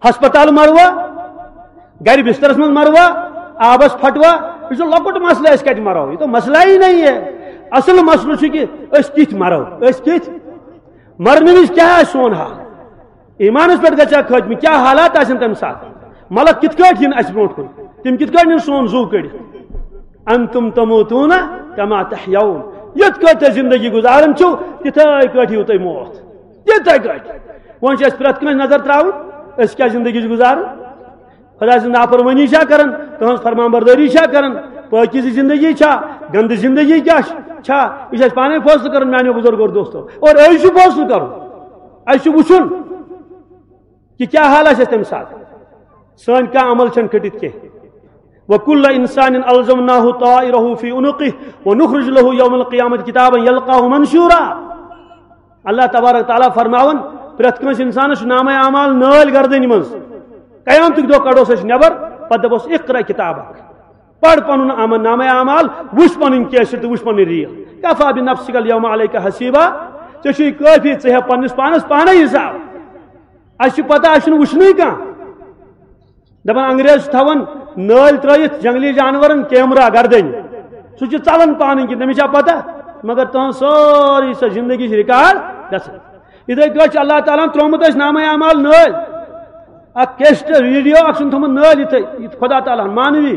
ہسپتال مروا؟ گرِ بسترس منٛز مروا؟ آبس پھٹوا؟ یہِ چھُ لۄکُٹ مسلہٕ، أسۍ کتہِ مرو؟ یہ تو مسئلہ ہی نہیں ہے۔ اصل مسلہٕ چھُ کہِ أسۍ کِتھ مرو، أسۍ کِتھ مرنہٕ وِزِ کیٛاہ آسہِ سون حال؟ ایمانس پٮ۪ٹھ گژھِ ہا خٲتمہٕ، کیٛاہ حالات آسن تمہِ ساتہٕ؟ ملک کِتھ کٲٹھۍ یِن اسہِ برونٛٹھ کُن؟ تِم کِتھ کٲٹھۍ نِن سون زُو کٔڑِتھ؟ انتم تموتون کما تحیون۔ یِتھ کٲٹھۍ تُہۍ زندگی گُزاران چھِو، تِتھے کٲٹھۍ یِیِو تۄہہِ موت۔ تِتھے کٲٹھۍ۔ وۄنۍ چھِ اَسہِ پرٛٮ۪تھ کٲنٛسہِ نظر ترٛاوٕنۍ، أسۍ کیٛاہ زندگی چھِ گُزاران؟ خۄداے سٕنٛز نافرمٲنی چھا کران، تٕہٕنٛز فرمان بردٲری چھا کران، پٲکیٖزٕ زندگی چھا، گندٕ زندگی کیٛاہ چھِ، چھا؟ یہِ چھُ اَسہِ پانے فٲصلہٕ کرُن، میانیو بُزرگو اور دوستو۔ اور أسۍ چھُ فٲصلہٕ کرُن، اَسہِ چھُ وٕچھُن کہِ کیٛاہ حال آسہِ اَسہِ تَمہِ ساتہٕ۔ سٲنۍ کانٛہہ عمل چھَنہٕ کھٔٹِتھ کینٛہہ۔ وَكُلَّ إِنسَانٍ أَلْزَمْنَاهُ طَائِرَهُ فِي عُنُقِهِ وَنُخْرِجُ لَهُ يَوْمَ الْقِيَامَةِ كِتَابًا يَلْقَاهُ مَنْشُورًا۔ اللہ تبارک تعالیٰ فرماوان، پرٛٮ۪تھ کٲنٛسہِ اِنسانَس چھُ نامہ اعمال نٲلۍ گردنہِ منٛز۔ قیامتُک دۄہ کڑوس أسۍ نٮ۪بر، پتہٕ دپوس، "اقرأ کتابک۔" پَر پنُن عمل، نامہ اعمال، وٕچھ پنٕنۍ کیسٹ تہٕ وٕچھ پنٕنۍ ریل۔ کفا بنفسک الیوم علیک حسیبا، ژےٚ چھُے کٲفی، ژٕ ہیٚہ پننِس پانس پانے حساب۔ اَسہِ چھِ پتہ، اَسہِ چھُنہٕ وٕچھنُے کانٛہہ۔ دپان انگریز چھِ تھاوان نٲلۍ ترٲیِتھ جنگلی جانورن کیمرہ گردنۍ، سُہ چھُ ژلان پانہٕ کِنۍ، تٔمِس چھا پتہ؟ مگر تُہنٛز سٲرٕے سۄ زندگی چھِ ریکارڈ گژھان۔ یِتھے کٲٹھۍ چھُ اللہ تعالیٰ ہن ترٛوومُت اَسہِ نامہ اعمال نٲلۍ۔ اکھ کیسٹ ویڈیو اکھ چھُن تھوٚمُت نٲلۍ یِتھے، یہِ خدا تعالیٰ ہن مانوی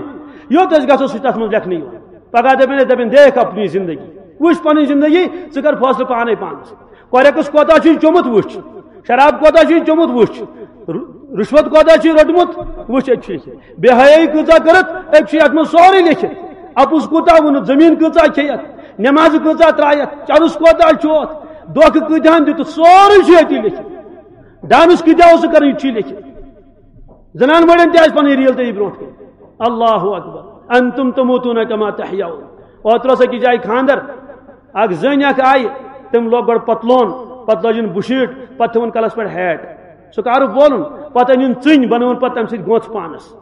یوت أسۍ گژھو سُہ چھُ تتھ منٛز لیکھنہٕ یِوان۔ پگاہ دپن، دپن، دیکھ اپنی زندگی، وٕچھ پنٕنۍ زندگی، ژٕ کر فٲصلہٕ پانے پانس۔ کۄرٮ۪کس کوتاہ چھُے چوٚمُت وٕچھ، شراب کوتاہ چھُے چوٚمُت وٕچھ، ر-، رشوت کوتاہ چھُے روٚٹمُت وٕچھ، أتۍ چھُ لیکھِتھ۔ بے حیٲیی کۭژاہ کٔرٕتھ، أتۍ چھُ یتھ منٛز سورُے لیکھِتھ۔ اپُز کوٗتاہ ووٚنُتھ، زٔمیٖن کۭژاہ کھیٚیتھ، نٮ۪مازٕ کۭژاہ ترٛایتھ، چرٕس کوتاہ چھُ اتھ، دھوکہٕ کۭتیاہن دیُتُتھ، سورُے چھُ أتی لیکھِتھ۔ ڈانس کۭتیاہ اوسُکھ کران، یہِ تہِ چھُے لیکھِتھ۔ زنان مٔڑٮ۪ن تہِ آسہِ پنٕنۍ ریل تٔتی برونٛٹھ کَنہِ۔ اللہ اکبر۔ انتم تموتون کما تحیون۔ اوترٕ اوس أکِس جایہِ خانٛدر، اکھ زٔنۍ اکھ آیہِ، تٔمۍ لوگ گۄڈٕ پتلون، پتہٕ لٲجِن بُشیٖٹ، پتہٕ تھٲوٕن کلس پٮ۪ٹھ ہیٹ۔ سُہ کارُک وولُن، پتہٕ أنِن ژٕنۍ، بنٲوٕن پتہٕ تمہِ سۭتۍ گونٛژھ پانس۔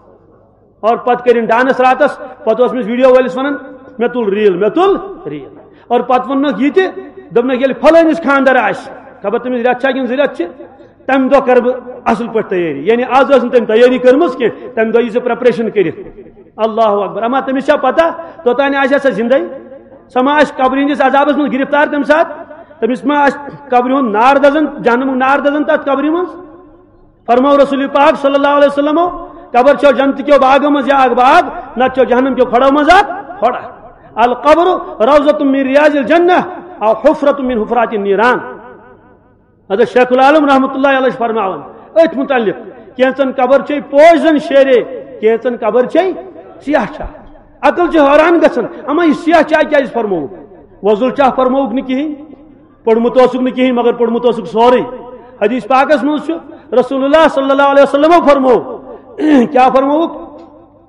اور پتہٕ کٔرِن ڈانس راتس، پتہٕ اوس أمِس ویڈیو وٲلِس ونان، "مےٚ تُل ریل، مےٚ تُل ریل۔" اور پتہٕ ووٚننکھ یہِ تہِ، دوٚپنکھ، "ییٚلہِ فلٲنِس خانٛدر آسہِ، خبر تٔمِس رٮ۪تھ چھا کِنہٕ زٕ رٮ۪تھ چھِ، تمہِ دۄہ کرٕ بہٕ اصل پٲٹھۍ تیٲری۔" یعنی از ٲس نہٕ تٔمۍ تیٲری کٔرمٕژ کینٛہہ، تمہِ دۄہ یی ژےٚ پریپریشن کٔرِتھ۔ اللہ اکبر۔ اما تٔمِس چھا پتہ، توٚتانۍ آسہِ ہا سۄ زندے؟ سۄ ما آسہِ قبرِ ہٕنٛدِس عذابس منٛز گرفتار تمہِ ساتہٕ؟ تٔمِس ما آسہِ قبرِ ہُنٛد نار دزان، جہنمُک نار دزان تتھ قبرِ منٛز؟ فرموو رسول پاک صلی اللہ علیہ وسلمو، "قبر چھو جنت کیو باغو منٛز یا اکھ باغ، نتہٕ چھو جہنم کیو کھۄڑو منٛز اکھ کھۄڑ۔ القبر روضۃ من ریاض الجنہ او حفرۃ من حفرات النیران۔" حضرت شیخ العالم رحمۃ اللہ علیہ چھِ فرماوان أتھۍ متعلق، کینٛژن قبر چھے پوش زن شیرے، کینٛژن قبر چھے سیاہ چھا۔ عقل چھِ حٲران گژھان، اما یہِ سیاہ چاے کیازِ فرمووُکھ؟ وۄزُل چاہ فرمووُکھ نہٕ کِہیٖنۍ، پوٚرمُت اوسُکھ نہٕ کِہیٖنۍ، مگر پوٚرمُت اوسُکھ سورُے۔ حدیث پاکس منٛز چھُ رسول اللہ صلی اللہ علیہ وسلمو فرموو، کیٛاہ فرمووُکھ؟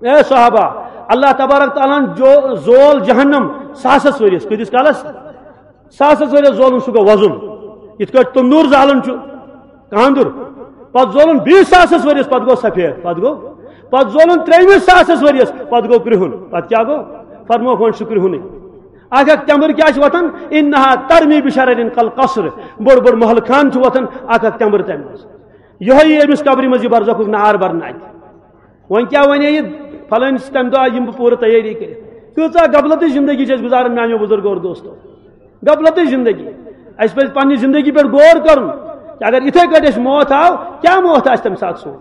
اے صحابہ، اللہ تبارک تعالیٰ ہن جو زول جہنم ساسس ؤرِیس۔ کۭتِس کالس؟ ساسس ؤرِیس زولُن، سُہ گوٚو وۄزُل۔ یِتھ کٲٹھۍ تندوٗر زالان چھُ کاندُر، پتہٕ زولُن بیٚیِس ساسس ؤرِیس، پتہٕ گوٚو سفید، پتہٕ گوٚو، پتہٕ زولُن ترٛیٚیِمِس ساسس ؤرِیس، پتہٕ گوٚو کرٛہُن۔ پتہٕ کیٛاہ گوٚو؟ فرمووُکھ، وۄنۍ چھُ کرٛہُنُے۔ اکھ اکھ تٮ۪مبٕر کیٛاہ چھِ وۄتھان؟ انہا ترمی بشرر کالقصر۔ بٔڑ بٔڑ محل خان چھِ وۄتھان اکھ اکھ تٮ۪مبٕر تَمہِ منٛز۔ یِہوٚے یہِ أمِس قبرِ منٛز یہِ برزخُک نار برناتہِ۔ وۄنۍ کیٛاہ وَنے یہِ فلٲنۍ سٕنٛز تَمہِ دۄہ یِم بہٕ پوٗرٕ تیٲری کٔرِتھ؟ کۭژاہ غفلتٕچ زندگی چھِ أسۍ گُزاران میٛانیو بُزرگو اور دوستو۔ غفلتٕچ زندگی۔ اَسہِ پَزِ پنٛنہِ زندگی پٮ۪ٹھ غور کَرُن کہِ اگر یِتھَے کٲٹھۍ اَسہِ موت آو، کیٛاہ موت آسہِ تَمہِ ساتہٕ سون؟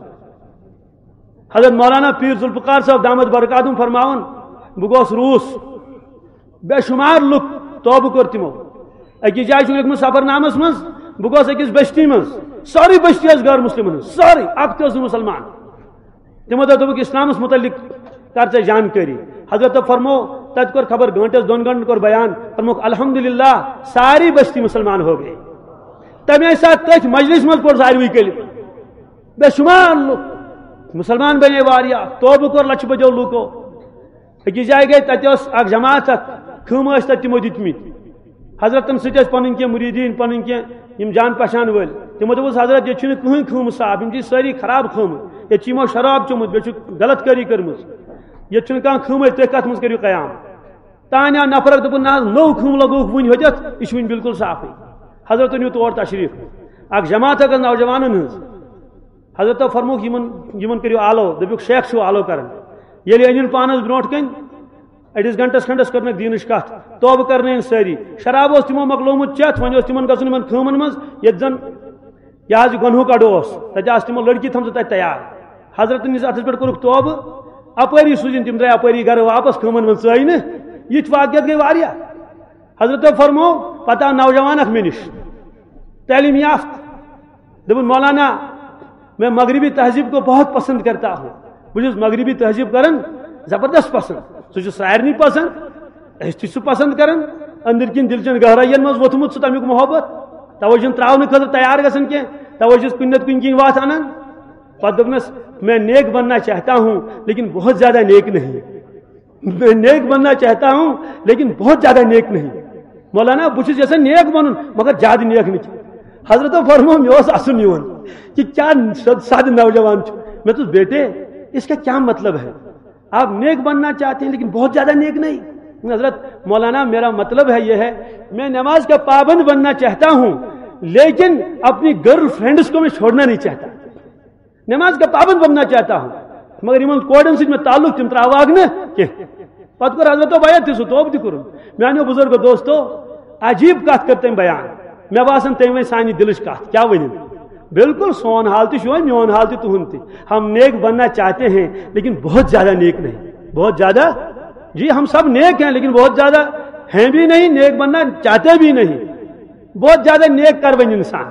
حضرت مولانا پیٖر ذوالفقار صٲب دامت برکاتہم فرماوان، بہٕ گوس روٗس، بے شُمار لُکھ توبہٕ کوٚر تِمو۔ أکِس جایہِ چھُ لیوٗکھمُت سفرنامس منٛز، بہٕ گوس أکِس بستی منٛز، سٲرٕے بستی ٲس غٲر مسلمن ہٕنٛز، سٲرٕے، اکھ تہِ اوس نہٕ مسلمان۔ تِمو دوٚپ، دوٚپُکھ، "اسلامس متعلق کر ژےٚ جانکٲری۔" حضرتو فرمو، تتہِ کوٚر خبر گٲنٹس دۄن گٲنٹن کوٚر بیان، فرموکھ، "الحمدللہ، ساری بستی مسلمان ہو گئی۔" تمے ساتہٕ تٔتھۍ مجلس منٛز پوٚر ساروٕے کلمہٕ۔ بے شُمار لُکھ مسلمان بنے واریاہ، توبہٕ کوٚر لچھِ بٔدیو لوٗکو۔ أکِس جایہِ گٔے، تَتہِ اوس اکھ جماعت اکھ، خۭمہٕ ٲسۍ تَتہِ تِمو دِتمٕتۍ۔ حضرتن سۭتۍ ٲسۍ پَنٕنۍ کینٛہہ مُریٖدیٖن، پَنٕنۍ کینٛہہ یِم جان پہچان وٲلۍ۔ تِمو دوٚپُس، "حضرت، ییٚتہِ چھُنہٕ کٕہٕنۍ خۭمہٕ صاف، یِم چھِ سٲری خراب خۭمہٕ، ییٚتہِ چھِ یِمو شراب چوٚمُت، بیٚیہِ چھُ غلط کٲری کٔرمٕژ، ییٚتہِ چھُنہٕ کانٛہہ خۭمٕے، تُہۍ کَتھ منٛز کٔرِو قیام؟" تانۍ آو نفر اکھ، دوٚپُن، "نہ حظ، نوٚو خۭمہٕ لگووُکھ وُنہِ ہوٚتٮ۪تھ، یہِ چھُ وُنہِ بالکل صافٕے۔" حضرت نیوٗ تور تشریٖف، اکھ جماعت اکھ ٲس نوجوانن ہٕنٛز۔ حضرتو فرمووُکھ، "یِمن، یِمن کٔرِو آلو۔" دوٚپُکھ، "شیخ چھُو آلو کران؟" ییٚلہِ أنِن پانس برونٛٹھ کَنۍ، أڑِس گھنٹس کھنڈس کٔرنَکھ دیٖنٕچ کَتھ، توبہٕ کرنٲوِن سٲری۔ شراب اوس تِمو مۄکلومُت چٮ۪تھ، وۄنۍ اوس تِمن گژھُن یِمن خۭمن منٛز، ییٚتہِ زن یہِ حظ یہِ گۄنہُک اڈٕ اوس، تَتہِ آسہٕ تِمو لڑکی تھٲمژٕ تَتہِ تیار۔ حضرتن نِس اَتھس پٮ۪ٹھ کوٚرُکھ توبہٕ، اپٲری سوٗزِن تِم درٛاے اپٲری گرٕ واپس، خۭمن منٛز ژٲے نہٕ۔ یِتھۍ واقعیت گٔے واریاہ۔ حضرتو فرموو، پتہٕ آو نوجوان اکھ مےٚ نِش، تعلیٖم یافتہٕ۔ دوٚپُن، "مولانا، میں مغربی تہذیب کو بہت پسند کرتا ہوں۔" بہٕ چھُس مغربی تہذیب کران زبردست پسند۔ سُہ چھُ سارنٕے پسند، أسۍ تہِ چھِ سُہ پسند کران۔ أنٛدٕرۍ کِنۍ دِل چٮ۪ن گہرٲیَن منٛز ووٚتھمُت چھُ تَمیُک محبت۔ توے چھُنہٕ ترٛاونہٕ خٲطرٕ تیار گژھان کینٛہہ، توے چھُس کُنہِ نتہٕ کُنہِ کِنۍ وَتھ اَنان۔ پتہٕ دوٚپنَس، "میں نیک بننا چاہتا ہوں، لیکن بہت زیادہ نیک نہیں۔" میں نیک بننا چاہتا ہوں، لیکن بہت زیادہ نیک نہیں۔ مولانا، بہٕ چھُس یژھان نیک بنُن، مگر زیادٕ نیک نہٕ کینٛہہ۔ حضرتو فرموو، مےٚ اوس اَسُن یِوان کہِ کیٛاہ سادٕ، سادٕ نوجوان چھُ۔ مےٚ دوٚپُس، "بیٹے، اس کا کیا مطلب ہے؟ آپ نیک بننا چاہتے ہیں، لیکن بہت زیادہ نیک نہیں۔" حضرت، "مولانا، میرا مطلب ہے یہ ہے، میں نماز کا پابند بننا چاہتا ہوں، لیکن اپنی گرل فرینڈس کو میں چھوڑنا نہیں چاہتا۔" نماز کا پابند بننا چاہتا ہوں، مگر یِمن کورٮ۪ن سۭتۍ مےٚ تعلق تِم ترٛاوہاکھ نہٕ کینٛہہ۔ پتہٕ کوٚر حضرتو بیعت تہِ، سُہ توبہٕ تہِ کوٚرُن۔ میانیو بزرگو دوستو، عجیب کتھ کٔر تٔمۍ بیان۔ مےٚ باسان تٔمۍ وۄنۍ سانہِ دِلٕچ کتھ، کیٛاہ ؤنِو؟ بالکل سون حال تہِ چھُ وۄنۍ میون حال تہِ تُہُنٛد تہِ۔ ہم نیک بننا چاہتے ہیں، لیکن بہت زیادہ نیک نہیں، بہت زیادہ جی، ہم سب نیک ہیں، لیکن بہت زیادہ ہیں بھی نہیں، نیک بننا چاہتے بھی نہیں۔ بہت زیادہ نیک کر بن انسان،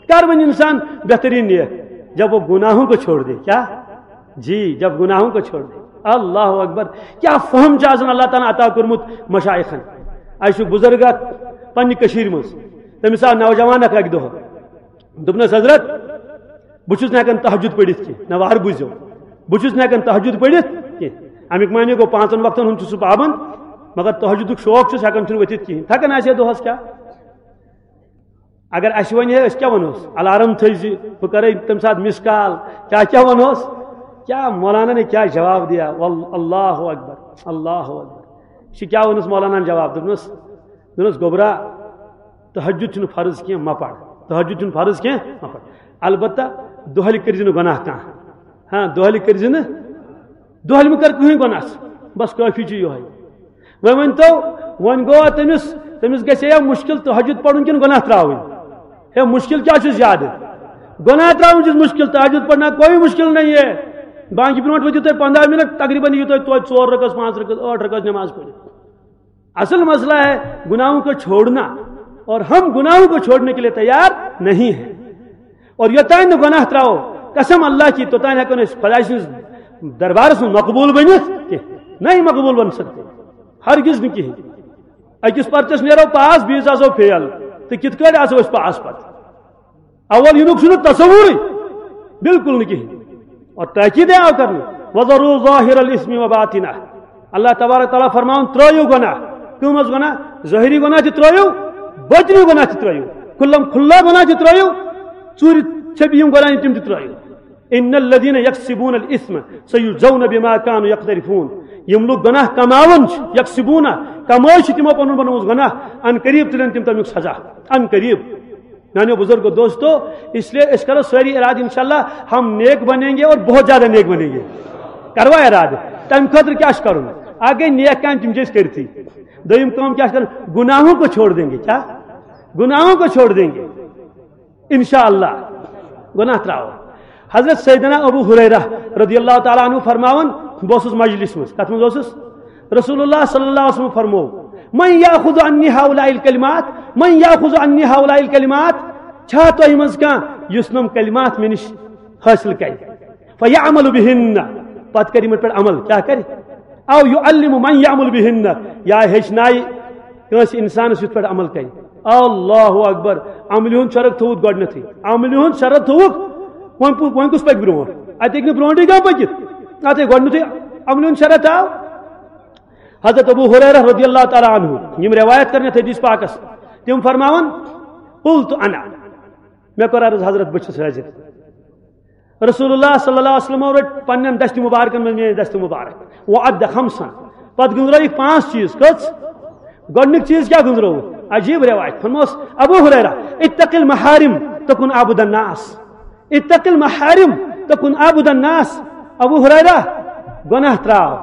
کر بن انسان بہترین نیک، جب وہ گناہوں کو چھوڑ دے۔ کیا؟ جی، جب گناہوں کو چھوڑ دے۔ اللہ اکبر۔ کیا فہم چھُ آسان اللہ تعالیٰ عطا کوٚرمُت مشائخن۔ اَسہِ چھُ بزرگ اکھ پننہِ کٔشیٖرِ منٛز، تٔمِس آو نوجوان اکھ اکہِ دۄہ، دوٚپنَس، "حضرت، بہٕ چھُس نہٕ ہٮ۪کان تہجد پٔرِتھ کینٛہہ، نہ وارٕ بوٗزِو، بہٕ چھُس نہٕ ہٮ۪کان تہجد پٔرِتھ کینٛہہ۔" اَمیُک معنی گوٚو، پانٛژن وقتن ہُنٛد چھُس بہٕ پابنٛد، مگر تہجدُک شوق چھُس، ہٮ۪کان چھُنہٕ ؤتھِتھ کِہیٖنۍ۔ تھکان آسہِ ہے دۄہس کیٛاہ؟ اگر اَسہِ وَنہِ ہے، أسۍ کیٛاہ وَنوس؟ الارم تھٲیزِ، بہٕ کَرَے تَمہِ ساتہٕ مِس کال، کیٛاہ کیٛاہ وَنوس؟ کیٛاہ مولانا نے کیٛاہ جواب دیا؟ وال-، اللہ اکبر، اللہ اکبر۔ یہِ چھِ کیٛاہ ووٚنُس مولاناہن جواب؟ دوٚپنَس، دوٚپنَس، "گوٚبرا، تہجد چھُنہٕ فرض کینٛہہ، مہ پَر۔ تہجد چھُنہٕ فرض کینٛہہ، مہ پَر۔ البتہ دۄہلہِ کٔرزِ نہٕ گۄناہ کانٛہہ۔ ہاں، دۄہلہِ کٔرزِ نہٕ، دۄہلہِ مہ کر کٕہٕنۍ گۄناہ۔ بس کٲفی چھُ یِہوٚے۔" وۄنۍ ؤنۍ تو، وۄنۍ گوٚو تٔمِس، تٔمِس گژھِ یا مُشکِل تہجد پَرُن کِنہٕ گۄناہ ترٛاوٕنۍ؟ ہے، مُشکِل کیٛاہ چھُ زیادٕ؟ گۄناہ ترٛاوُن چھُ مُشکِل، تہجد پڑھنا کوئی مشکل نہیں ہے۔ بانگہِ برونٛٹھ ؤتھِو تُہۍ پنٛداہ منٹ، تقریباً یِیِو تۄہہِ توتہِ ژور رکعت، پانٛژھ رکعت، ٲٹھ رکعت نماز پٔرِتھ۔ اصل مسئلہ ہے گناہوں کو چھوڑنا، اور ہم گناہوں کو چھوڑنے کے لیے تیار نہیں ہیں۔ اور یوتانۍ نہٕ گۄناہ ترٛاوو، قسم اللہ کی، توتانۍ ہٮ۪کو نہٕ أسۍ خۄداے سٕنٛدِس دربارس منٛز مقبوٗل بٔنِتھ کینٛہہ۔ نہیں مقبوٗل بن سکتے، ہرگز نہٕ کِہیٖنۍ۔ أکِس پرچس نیرو پاس، بیٚیِس آسو فیل، تہٕ کِتھ کٲٹھۍ آسو أسۍ پاس پتہٕ؟ اول یِنُک چھُنہٕ تصورٕے، بالکل نہٕ کِہیٖنۍ۔ اور تاکید ہے آو کرنہٕ، "وذروا ظاہر الاثم وباطنہ۔" اللہ تبارک تعالیٰ فرماوان، ترٲیِو گۄناہ۔ کٕم حظ گۄناہ؟ ظٲہری گۄناہ تہِ ترٲیِو، باطنی گۄناہ تہِ ترٲیِو، کھُلم کھُلا گۄناہ تہِ ترٲیِو، ژوٗرِ چھپی یِم گۄناہ تِم تہِ ترٲیِو۔ ان الذین یکسبون الاثم سیجزون بما کانوا یقترفون۔ یِم لوٗکھ گۄناہ کماوان چھِ، یکسبون، کمٲے چھِ تِمو پنُن بنومُت گۄناہ، ان قریب تُلن تِم تمیُک سزا، ان قریب۔ میانیو بزرگو دوستو، اس لیے أسۍ کرو سٲری ارادٕ، انشاءاللہ ہم نیک بنیں گے اور بہت زیادہ نیک بنیں گے۔ کروا ارادٕ؟ تمہِ خٲطرٕ کیٛاہ چھُ کرُن؟ اکھ گٔے نیک کامہِ، تِم چھِ أسۍ کٔرتھٕے۔ دوٚیِم کٲم کیٛاہ چھِ کرٕنۍ؟ گناہوں کو چھوڑ دیں گے۔ کیا؟ گناہوں کو چھوڑ دیں گے انشاءاللہ۔ گناہ ترٛاوو۔ حضرت سیدنا ابو ہریرہ رضی اللہ تعالیٰ عنہ فرماوان، بہٕ اوسُس مجلس منٛز، کتھ منٛز اوسُس؟ رسول اللہ صلی اللہ علیہ وسلم فرمو، "من یاخذ عنی ہؤلاء الکلمات، من یاخذ عنی ہؤلاء الکلمات"، چھا تۄہہِ منٛز کانٛہہ یُس نۄم کلمات مےٚ نِش حٲصِل کرِ؟ فیعمل بہن، پتہٕ کرِ یِمن پٮ۪ٹھ عمل، کیٛاہ کرِ؟ او یعلم من یعمل بہن، یا ہیٚچھنایہِ کٲنٛسہِ انسانس یِتھ پٲٹھۍ عمل کرِ۔ اللہ اکبر، عملہِ ہُنٛد شرط تھوٚوُکھ گۄڈٕنیتھٕے، عملہِ ہُنٛد شرط تھوٚوُکھ، وۄنۍ پو-، وۄنۍ کُس پکہِ برونٛٹھ؟ اتہِ ہیٚکہِ نہٕ برونٛٹھٕے کانٛہہ پٔکِتھ، اتہِ ہے گۄڈٕنیتھٕے عملہِ ہُنٛد شرط آو۔ حضرت ابو ہریرہ رضی اللہ تعالیٰ عنہ، یِم روایت کرن یتھ حدیث پاکس، تِم فرماوان، "قلت انا"، مےٚ کوٚر عرض، "حضرت، بہٕ چھُس حٲضِر۔" رسول اللہ صلی اللہ علیہ وسلم رٔٹۍ پننٮ۪ن دستِ مبارکن منٛز میٲنۍ دستِ مبارک، وعد خمسن، پتہٕ گٔنٛزرٲوِکھ پانٛژھ چیٖز۔ کٔژ؟ گۄڈٕنیُک چیٖز کیٛاہ گٔنٛزرٲوُکھ؟ عجیٖب روایت۔ فرموس ابو ہریرہ، "اتق المحارم تکن عبد الناس، اتق المحارم تکن عبد الناس۔" ابو ہریرہ، گۄناہ ترٛاو۔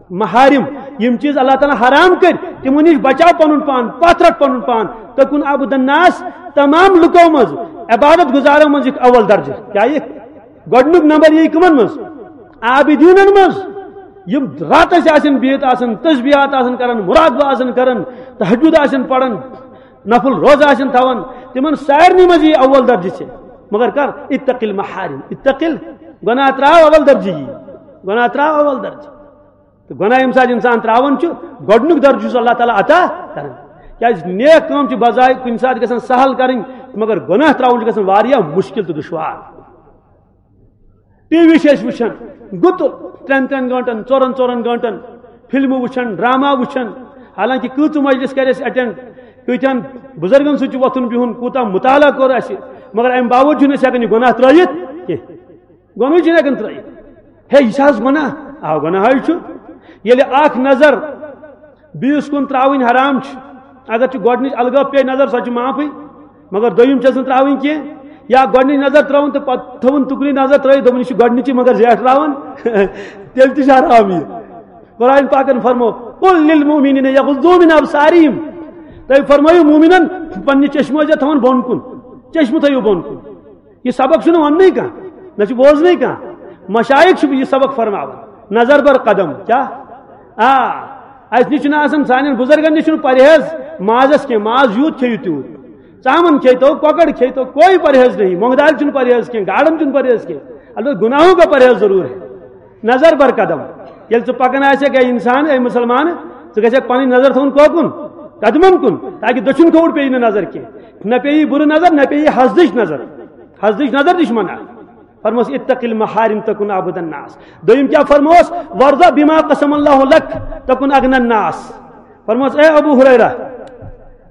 محارم، یِم چیٖز اللہ تعالیٰ حرام کٔرۍ، تِمو نِش بچاو پنُن پان، پتھ رٹ پنُن پان۔ تکن عبد الناس، تمام لُکو منٛز، عبادت گزارو منٛز یِکھ اول درجہٕ۔ کیٛاہ یِکھ؟ گۄڈٕنیُک نمبر یی کٕمن منٛز؟ عابدیٖنن منٛز۔ یِم راتس آسن بِہِتھ آسن، تسبیحات آسن کران، مراقبہ آسن کران، تہجد آسن پران، نفل روزٕ آسن تھاوان، تِمن سارنٕے منٛز یی اول درجہٕ ژےٚ۔ مگر کر؟ اتق المحارم، اتق ال-، گۄناہ ترٛاو اول درجہٕ یی، گۄناہ ترٛاو اول درجہٕ۔ تہٕ گۄناہ ییٚمہِ ساتہٕ اِنسان ترٛاوان چھُ، گۄڈٕنیُک درجہٕ چھُس اللہ تعالیٰ عطا کران۔ کیٛازِ نیک کٲم چھِ بجایہِ کُنہِ ساتہٕ گژھان سہل کرٕنۍ، مگر گۄناہ ترٛاوُن چھُ گژھان واریاہ مُشکِل تہٕ دُشوار۔ ٹی وی چھِ أسۍ وٕچھان، گُتُل ترٛٮ۪ن ترٛٮ۪ن گٲنٛٹن، ژورن ژورن گٲنٛٹن فلمہٕ وٕچھان، ڈرامہ وٕچھان۔ حالانکہ کۭژٕ مجلس کرِ اَسہِ اٹینڈ، کۭتیٛاہن بُزرگن سۭتۍ چھُ وۄتھُن بِہُن، کوٗتاہ مُطالعہ کوٚر اَسہِ، مگر اَمہِ باوجوٗد چھُنہٕ أسۍ ہٮ۪کان یہِ گۄناہ ترٛٲیِتھ کینٛہہ۔ گۄنہٕے چھِنہٕ ہٮ۪کان ترٛٲیِتھ۔ ہے، یہِ چھِ حظ گۄناہ؟ آ، گۄناہ حظ چھُ۔ ییٚلہِ اکھ نظر بیٚیِس کُن ترٛاوٕنۍ حرام چھِ، اگر چھِ گۄڈٕنِچ الگٲب پیٚیہِ نظر، سۄ چھِ معافٕے، مگر دوٚیِم چھَس نہٕ ترٛاوٕنۍ کینٛہہ۔ یا گۄڈٕنِچ نظر ترٛٲوٕن تہٕ پتہٕ تھٲوٕن تُکنٕے نظر ترٛٲیِتھ، دوٚپُن، "یہِ چھِ گۄڈٕنِچی مگر زیٹھراوان"، تیٚلہِ تہِ چھِ حرام یہِ۔ قرآن پاکن فرمو، "قل للمؤمنین یغضوا من ابصارہم"، تُہۍ فرمٲیِو مومنن پننہِ چشمہٕ ٲسۍزیو تھاوان بۄن کُن، چشمہٕ تھٲیِو بۄن کُن۔ یہِ سبق چھُنہٕ وننٕے کانٛہہ، نہ چھُ بوزنٕے کانٛہہ۔ مشایخ چھِ یہِ سبق فرماوان۔ نظر بر قدم، کیٛاہ؟ آ، اَسہِ نِش چھُنہٕ آسان، سانٮ۪ن بُزرگن نِش چھُنہٕ پرہیز مازس کینٛہہ، ماز یوٗت کھیٚیِو تیوٗت۔ ژامن کھیٚیتو، کۄکر کھیٚیتو، کوئی پرہیز نہیں، مۄنٛگہٕ دالہِ چھُنہٕ پرہیز کینٛہہ، گاڈن چھُنہٕ پرہیز کینٛہہ۔ البتہ گناہوں کا پرہیز ضرور ہے۔ نظر بر قدم۔ ییٚلہِ ژٕ پکان آسکھ، اے انسان، اے مسلمان، ژٕ گژھکھ پنٕنۍ نظر تھاوُن کوکُن؟ قدمن کُن، تاکہ دٔچھُن کھووُر پیٚیہِ نہٕ نظر کینٛہہ۔ نہ پیٚیہِ بُرٕ نظر، نہ پیٚیہِ حسدٕچ نظر۔ حسدٕچ نظر تہِ چھِ منع۔ فرموس، "اتق المحارم تکن عبد الناس۔" دوٚیِم کیٛاہ فرموس؟ "وارض بما قسم اللہ لک تکن اغنى الناس۔" فرموس، اے ابو ہریرہ،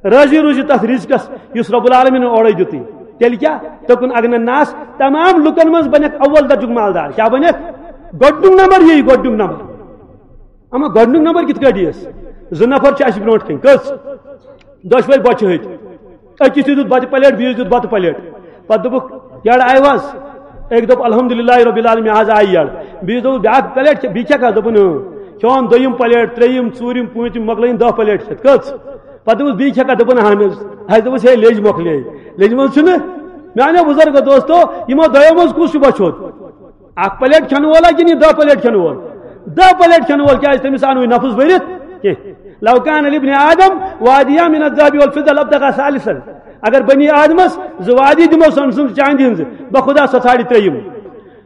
راضی روٗزِ تتھ رزقس یُس رب العالمین اورے دیُتُے۔ تیٚلہِ کیٛاہ؟ تکن اغنى الناس، تمام لُکن منٛز بنکھ اول درجُک مالدار۔ کیٛاہ بنکھ؟ گۄڈٕنیُک نمبر یی، گۄڈٕنیُک نمبر۔ اما گۄڈٕنیُک نمبر کِتھ کٲٹھۍ یِیَس؟ زٕ نفر چھِ اَسہِ برونٛٹھ کَنہِ۔ کٔژ؟ دۄشوے بۄچھِ ۂتۍ۔ أکِس تہِ دیُت بَتہٕ پلیٹ، بیٚیِس دیُت بَتہٕ پلیٹ۔ پَتہٕ دوٚپُکھ، "یَڑ آیہِ حظ؟" أکۍ دوٚپ، "الحمدللہ رب العالمین، آز آیہِ یَڑ۔" بیٚیِس دوٚپُکھ، "بیٛاکھ پلیٹ کھےٚ، بیٚیہِ کھٮ۪کھ حظ؟" دوٚپُن، "اۭں۔" کھیوٚن دوٚیِم پلیٹ، ترٛیٚیِم، ژوٗرِم، پوٗنٛژِم، مۄکلٲیِن دَہ پلیٹ کھٮ۪تھ۔ کٔژ؟ پَتہٕ دوٚپُس، "بیٚیہِ کھٮ۪کھا؟" دوٚپُن، "اہن حظ۔" اَسہِ دوٚپُس، "ہے، لیٚج مۄکلے۔" لیٚجہِ منٛز چھُنہٕ؟ میٛانیو بُزرگو دوستو، یِمو دۄیو منٛز کُس چھُ بۄچھِ ہوٚت؟ اکھ پلیٹ کھٮ۪نہٕ وولا کِنہٕ یہِ دَہ پلیٹ کھٮ۪نہٕ وول؟ دَہ پلیٹ کھٮ۪نہٕ وول، کیٛازِ تٔمِس آو نہٕ وۄنۍ نفس بٔرِتھ کینٛہہ۔ "لو کان لابن آدم وادیان من الذهب والفضة لابتغى ثالثا۔" اگر بنی آدمس زٕ وادی دِمو سۄنہٕ سٕنٛز چاندِ ہٕنٛزٕ، بخدا سۄ ژھانڈِ ترٛیٚیِم۔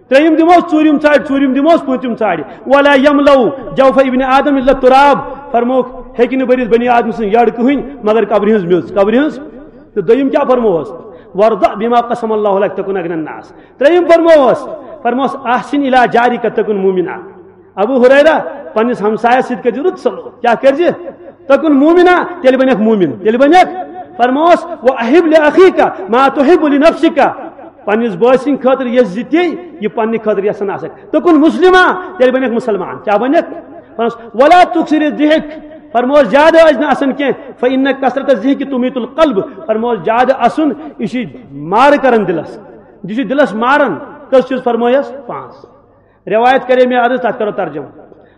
ترٛیٚیِم دِموس، ژوٗرِم ژھانڈِ، ژوٗرِم دِموس، پوٗنٛژِم ژھانڈِ۔ "ولا يملأ جوف ابن آدم إلا التراب۔" فرمووُکھ، ہیٚکہِ نہٕ بٔرِتھ بنی آدم سٕنٛز یٔڑ کٕہٕنۍ مگر قبرِ ہٕنٛز میٚژ، قبرِ ہٕنٛز۔ تہٕ دوٚیِم کیٛاہ فرمووس؟ "وارض بما قسم الله لك تكن أغنى الناس۔" ترٛیٚیِم فرمووس، فرمووس، "أحسن إلى جارك تكن مؤمنا۔" ابو ہریرہ، پننِس ہمسایس سۭتۍ کٔرزِ رُت سلوک۔ کیٛاہ کٔرزِ؟ "تکن مؤمنا"، تیٚلہِ بنکھ مومن، تیٚلہِ بنکھ۔ فرمووس، "وأحب لأخيك ما تحب لنفسك"، پننِس بٲے سٕنٛدِ خٲطرٕ یژھ زِ تی یہِ پننہِ خٲطرٕ یژھان آسکھ۔ "تکن مسلما"، تیٚلہِ بنکھ مسلمان۔ کیٛاہ بنکھ؟ فرمووس، "ولا تكثر الضحك"، فرمووس، زیادٕ ٲسۍ نہٕ اسان کینٛہہ۔ "فإن كثرة الضحك تميت القلب"، فرمووس، زیادٕ اسُن، یہِ چھُ مارٕ کران دِلس، یہِ چھُ دِلس ماران۔ کٔژ چیٖز فرمووس؟ پانٛژھ۔ روایت کرے مےٚ عرض، تتھ کرو ترجمہٕ۔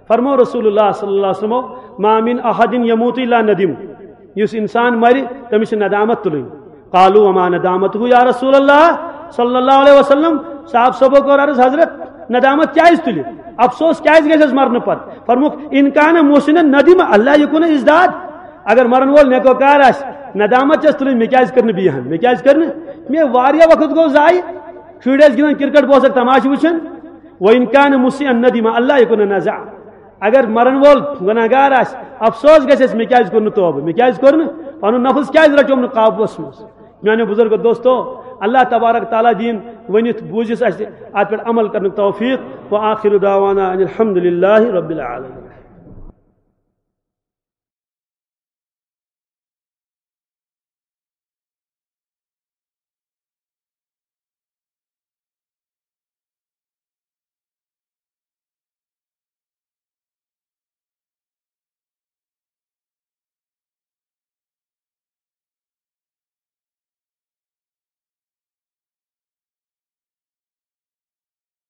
فرموو رسول اللہ صلی اللہ علیہ وسلمو، "ما من أحد يموت إلا ندم"، یُس انسان مرِ، تٔمِس چھِ ندامت تُلٕنۍ۔ "قالوا وما ندامته يا رسول الله صلى الله عليه وسلم؟" صحابہ صٲبو کوٚر عرض، "حضرت، ندامت کیٛازِ تُلہِ؟ افسوس کیٛازِ گژھِ اَسہِ مرنہٕ پتہٕ؟" فرمووُکھ، "إن كان محسنا ندم ألا يكون ازداد"، اگر مرن وول نیکوکار آسہِ، ندامت چھس تُلٕنۍ، مےٚ کیٛازِ کٔر نہٕ بیٚیہِ ہن، مےٚ کیٛازِ کٔر نہٕ؟ مےٚ واریاہ وقت گوٚو ضایع، شُرۍ ٲسۍ گِنٛدان کرکٹ، بہٕ اوسکھ تماشہٕ وٕچھان۔ "وإن كان مسيئا ندم ألا يكون نازعا"، اگر مرن وول گناہگار آسہِ، افسوس گژھٮ۪س، مےٚ کیٛازِ کوٚر نہٕ توبہٕ، مےٚ کیٛازِ کوٚر نہٕ، پنُن نفس کیٛازِ رچوم نہٕ قابوس منٛز؟ میانیو بزرگو دوستو، اللہ تبارک تعالیٰ دِیِن ؤنِتھ بوٗزِتھ اسہِ اتھ پٮ۪ٹھ عمل کرنُک توفیق۔ وآخر دعوانا ان الحمد للہ رب العالمین۔